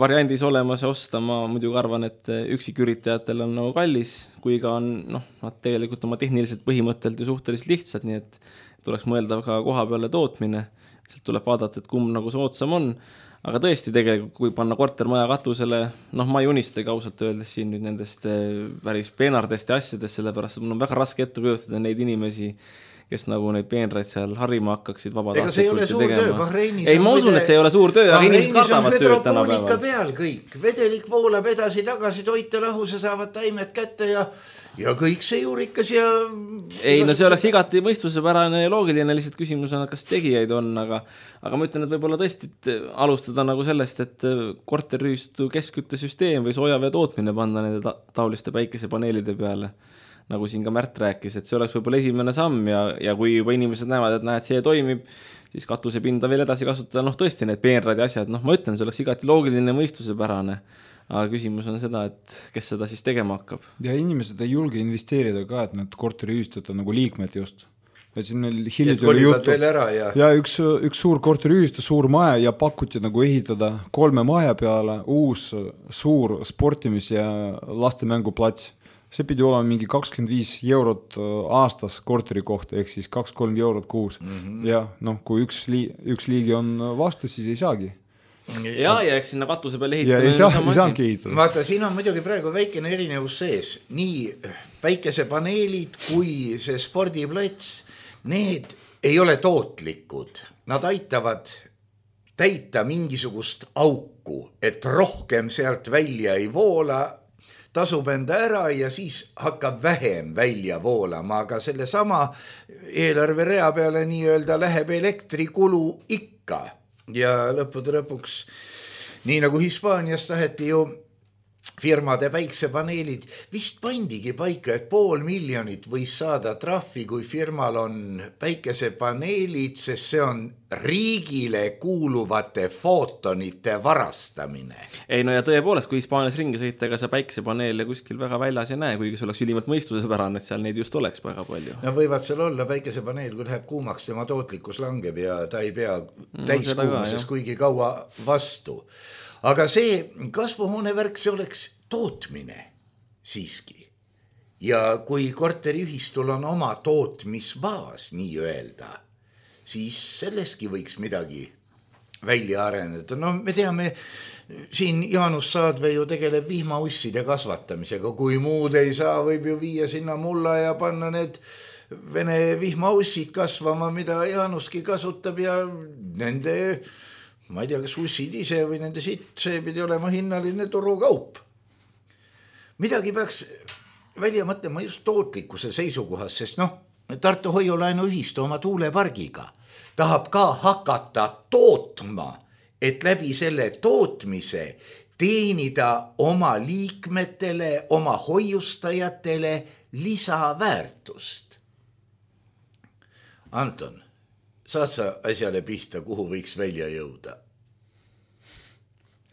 variandis olemas ja osta, ma muidugi arvan, et üksiküritajatel on kallis, kui ka on nad tegelikult oma tehniliselt põhimõttelt ju suhteliselt lihtsad, nii et tuleks mõelda ka koha peale tootmine, sealt tuleb vaadata, et kumb nagu soodsam on, aga tõesti tegelikult, kui panna kortermaja katusele, ma ei unistagi ausalt öeldes siin nüüd nendest päris peenardest ja asjadest, sellepärast, et mul on väga raske ette kujutada neid inimesi, kes nagu neid peenraid seal harima hakkaksid vabatahtlikult. Ega see ei ole suur töö, Bahreinis ei, ma usun, et see ei ole suur töö, aga inimesed kardavad tööd tänapäeval. Peal kõik, vedelik voolab edasi-tagasi, toite lahuse saavad taimed kätte ja kõik see juurikas ja... Ei, see oleks igati mõistusepärane ja loogiline, lihtsalt küsimus on, kas tegijaid on, aga ma ütlen, et võib-olla tõesti alustada nagu sellest, et korterüüstu keskküttesüsteem või soojavee tootmine panna nende taoliste päikesepaneelide peale, nagu siin ka Märt rääkis, et see oleks võib-olla esimene samm ja kui juba inimesed näevad, et see toimib, siis katusepinda veel edasi kasutada, tõesti need peenrad ja asjad, ma ütlen, see oleks igati loogiline mõistusepärane. Aga küsimus on seda, et kes seda siis tegema hakkab. Ja inimesed ei julge investeerida ka, et need korteriühistud on nagu liikmed just. Et siin meil hiljuti oli juttu. Ja üks suur korteriühistu, suur maja ja pakuti nagu ehitada 3 maja peale uus suur sportimis- ja lastemänguplats. See pidi olema mingi 25 eurot aastas korteri kohta, ehk siis 2-3 eurot kuus. Ja kui üks liigi on vastu, siis ei saagi. Ja eks sinna katuse peale ehitada. Ei saangi ehitada. Vaata, siin on muidugi praegu väikene erinevus sees. Nii päikesepaneelid kui see spordiplats, need ei ole tootlikud. Nad aitavad täita mingisugust auku, et rohkem sealt välja ei voola, tasub enda ära ja siis hakkab vähem välja voolama, aga selle sama eelarverea peale nii-öelda läheb elektrikulu ikka. Ja lõpuks, nii nagu Hispaanias taheti ju firmade päiksepaneelid, vist pandigi paika, et 500 000 võis saada trahvi, kui firmal on päikesepaneelid, sest see on riigile kuuluvate footonite varastamine. Ei, ja tõepoolest, kui Hispaanias ringi sõita, ega sa päikesepaneele kuskil väga väljas ei näe, kuigi see oleks ülimalt mõistusepärane, et seal neid just oleks väga palju. Võivad seal olla päikesepaneel, kui läheb kuumaks, tema tootlikkus langeb ja ta ei pea täiskuumuses kuigi kaua vastu. Aga see kasvuhoonevärk, see oleks tootmine siiski. Ja kui korteriühistul on oma tootmisbaas, nii öelda, siis selleski võiks midagi välja areneda. Me teame, siin Jaanus Saadve ju tegeleb vihmausside kasvatamisega. Kui muud ei saa, võib ju viia sinna mulla ja panna need vene vihmaussid kasvama, mida Jaanuski kasutab ja nende... Ma ei tea, kas ussid ise või nende sitt, see pidi olema hinnaline turukaup. Midagi peaks välja mõtlema just tootlikkuse seisukohas, sest Tartu Hoiulaenu ühistu oma tuulepargiga tahab ka hakata tootma, et läbi selle tootmise teenida oma liikmetele, oma hoiustajatele lisaväärtust. Anton, saad sa asjale pihta, kuhu võiks välja jõuda?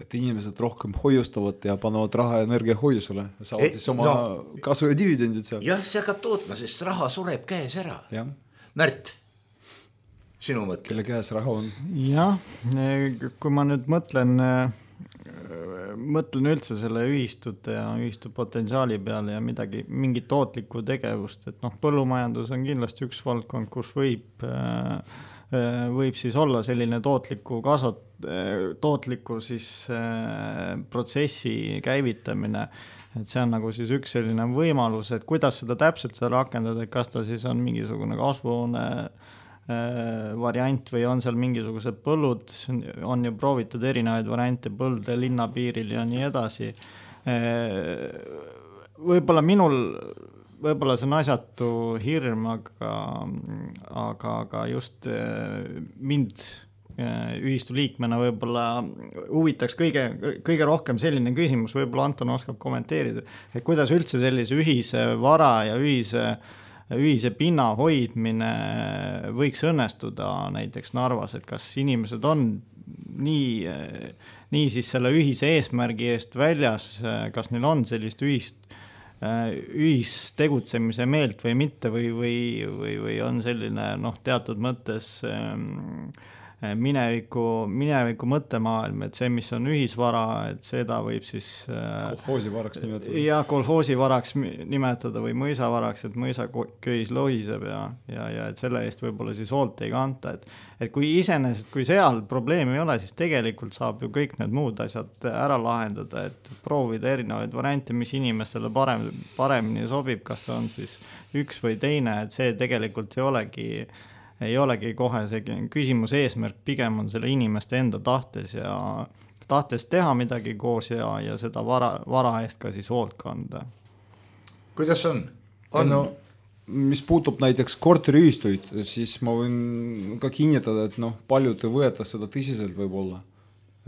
Et inimesed rohkem hoiustavad ja panevad raha energia hoiusele. Saavad siis oma kasu ja dividendid seal. Jah, see hakkab tootma, sest raha sureb käes ära. Ja. Märt? sinu mõte? Kelle käes raha on? Jah, kui ma nüüd mõtlen üldse selle ühistute ja ühistu potentsiaali peale ja mingi tootlikku tegevust, et põllumajandus on kindlasti üks valdkond, kus võib siis olla selline tootliku siis protsessi käivitamine, et see on nagu siis üks selline võimalus, et kuidas seda täpselt rakendada, et kas ta siis on mingisugune kasvuhoone variant või on seal mingisugused põllud, on ju proovitud erinevaid variante põlde linnapiiril ja nii edasi. Võib-olla see on asjatu hirm, aga just mind ühistu liikmena võib-olla huvitaks kõige rohkem selline küsimus, võib-olla Anton oskab kommenteerida, et kuidas üldse sellise ühise vara ja ühise pinna hoidmine võiks õnnestuda näiteks Narvas, et kas inimesed on nii siis selle ühise eesmärgi eest väljas, kas neil on sellist ühistegutsemise meelt või mitte või on selline teatud mõttes mineviku mõttemaailm, et see, mis on ühisvara, et seda võib siis kolhoosivaraks nimetada. Ja kolhoosivaraks nimetada või mõisavaraks, et mõisaköis lohiseb ja et selle eest võib-olla siis hoolt ei kanta. Et kui seal probleemi ei ole, siis tegelikult saab ju kõik need muud asjad ära lahendada, et proovida erinevaid variante, mis inimestele paremini sobib, kas ta on siis üks või teine, et see tegelikult ei olegi kohe see küsimus eesmärk, pigem on selle inimeste enda tahtes teha midagi koos ja seda vara eest ka siis hoolt kanda. Kuidas on? No, mis puutub näiteks korteriühistuid, siis ma võin ka kinnitada, et paljud ei võeta seda tõsiselt võib-olla.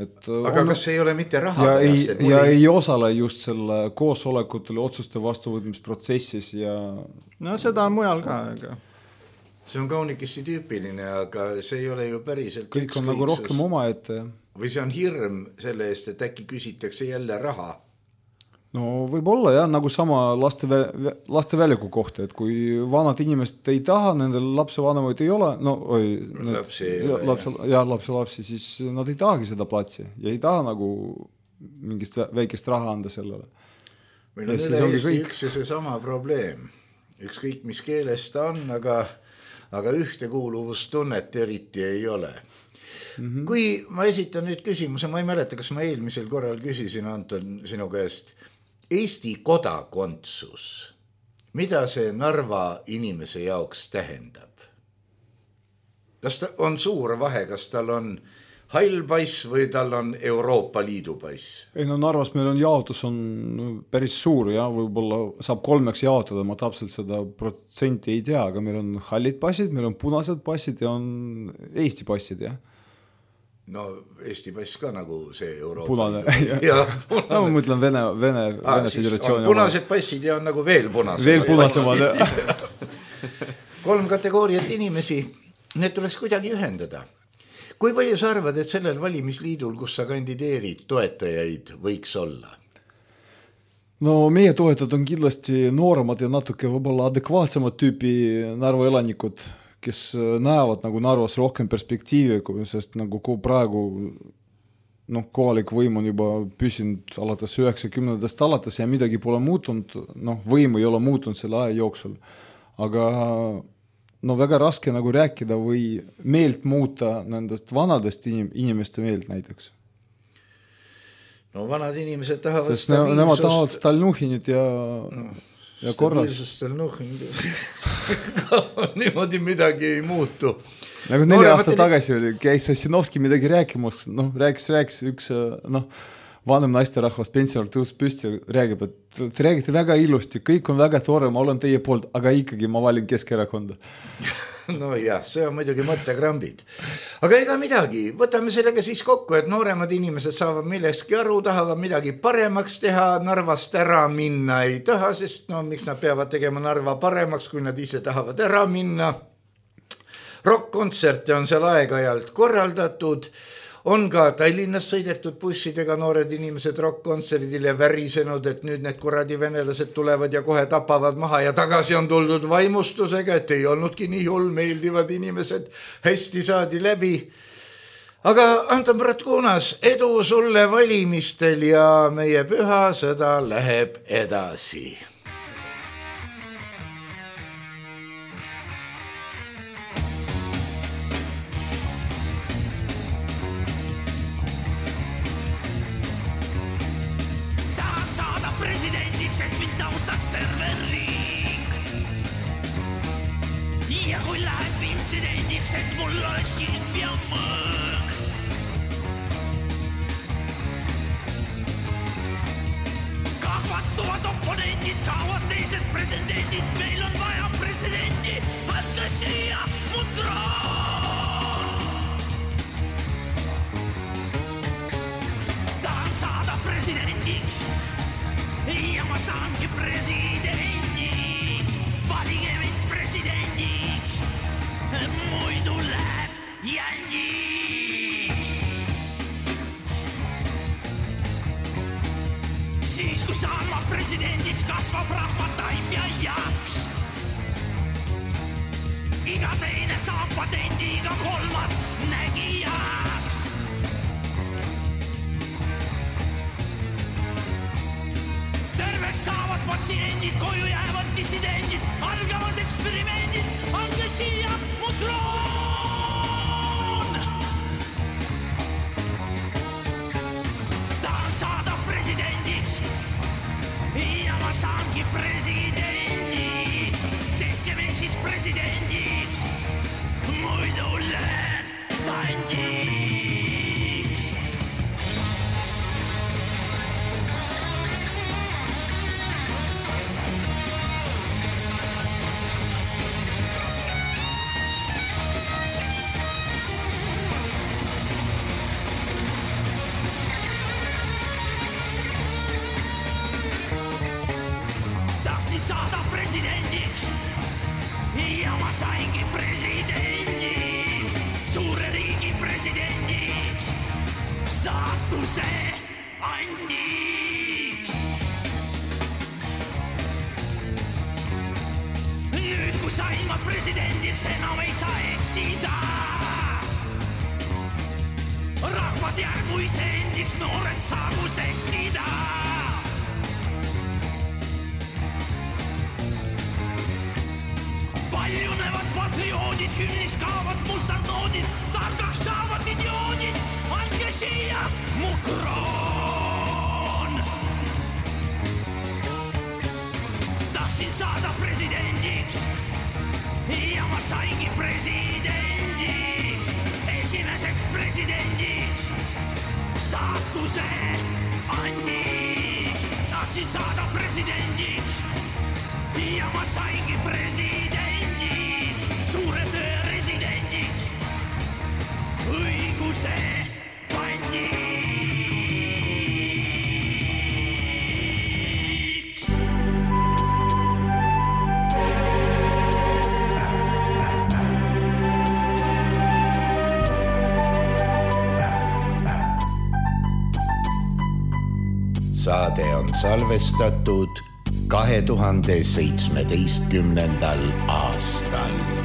Aga kas ei ole mitte raha pärast? Ja ei osale just selle koosolekutele otsuste vastuvõtmisprotsessis ja... No seda on mujal ka, aga... See on kaunikesti tüüpiline, aga see ei ole ju päriselt kõik on nagu rohkem oma ette. Või see on hirm selle eest, et äkki küsitakse jälle raha? No võib-olla jah, nagu sama laste väljaku kohta, et kui vanad inimesed ei taha, nendel lapsevanemaid ei ole, lapsi, siis nad ei tahagi seda platsi ja ei taha nagu mingist väikest raha anda sellele. Meil on üle Eesti üks ja see sama probleem. Ükskõik mis keeles ta on, aga ühtekuuluvustunnet eriti ei ole. Kui ma esitan nüüd küsimuse, ma ei mäleta, kas ma eelmisel korral küsisin, Anton, sinu käest, Eesti kodakondsus, mida see Narva inimese jaoks tähendab? Kas on suur vahe, kas tal on hall pass või tal on Euroopa Liidu pass? Ei no Narvas meil on jaotus on päris suur ja võib-olla saab 3 jaotada, ma täpselt seda protsenti ei tea, aga meil on hallid passid, meil on punased passid ja on Eesti passid, jah. No Eesti pass ka nagu see Euroopa punane. Liidu. No, ma mõtlen Vene Föderatsiooni. Punased passid ja on nagu veel punasemad. Veel punasemad, jah. 3 kategooriat inimesi, need tuleks kuidagi ühendada. Kui palju sa arvad, et sellel valimisliidul, kus sa kandideerid, toetajaid võiks olla? No meie toetajad on kindlasti nooremad ja natuke võib-olla adekvaatsemad tüüpi Narva elanikud, kes näevad nagu Narvas rohkem perspektiivi, sest nagu praegu kohalik võim on juba püsinud alates 90-ndast alates ja midagi pole muutunud, võim ei ole muutunud selle aja jooksul. Aga väga raske nagu rääkida või meelt muuta nendest vanadest inimeste meelt näiteks. No vanad inimesed tahavad sest nemad tahavad Stalnuhinit ja korras. Stalnuhinit niimoodi midagi ei muutu. Nagu 4 aasta tagasi oli, käis Ossinovski midagi rääkimas, rääkis üks vanem naisterahvas pensionär tõus püsti räägib, et te räägite väga ilusti, kõik on väga tore, ma olen teie poolt, aga ikkagi ma valin Keskerakonda. No jah, see on muidugi mõttekrambid. Aga ega midagi, võtame sellega siis kokku, et nooremad inimesed saavad millestki aru, tahavad midagi paremaks teha, Narvast ära minna ei taha, sest miks nad peavad tegema Narva paremaks, kui nad ise tahavad ära minna. Rock-kontserte on seal aeg-ajalt korraldatud. on ka Tallinnas sõidetud bussidega noored inimesed rock-kontserdil ja värisenud, et nüüd need kuradi venelased tulevad ja kohe tapavad maha ja tagasi on tuldud vaimustusega, et ei olnudki nii hull, meeldivad inimesed, hästi saadi läbi. Aga Anton Bratkunas, edu sulle valimistel ja meie püha sõda läheb edasi. Ja kui läheb intsidendiks, et mul oleks ilm ja mõõg. Kahvatuvad oponendid, kaovad teised pretendendid. Meil on vaja presidenti, andke siia mu troon. Tahan saada presidendiks ja ma saangi presidendiks. Valige mind presidendiks, muidu läheb jändiks. Siis kui saan ma presidendiks, kasvab rahvataim ja jaks. Iga teine saab patendi, iga kolmas nägijaks. Terveks saavad patsiendid, koju jäävad dissidendid, algavad eksperimendid, andke siia mu troon. Tahan saada presidendiks ja ma saangi presidendiks. Tehke me siis presidendiks, muidu lähen sandiks. Saada presidendiks ja ma saingi presidendiks, suure riigi presidendiks, saatuse andiks. Nüüd kui sain ma presidendiks, enam ei saa eksida. Rahvad jäägu iseendiks, noored saagu seksida. Paljunevad patrioodid, hümnis kaavad mustad noodid, targaks saavad idioodid, andke siia mu kroon. Tahtsin saada presidendiks ja ma saingi presidendiks, esimeseks presidendiks, saatuse andiks. Tahtsin saada presidendiks ja ma saingi presidendiks, suure töö residendiks, õiguse pandiks. Saade on salvestatud 2017. aastal.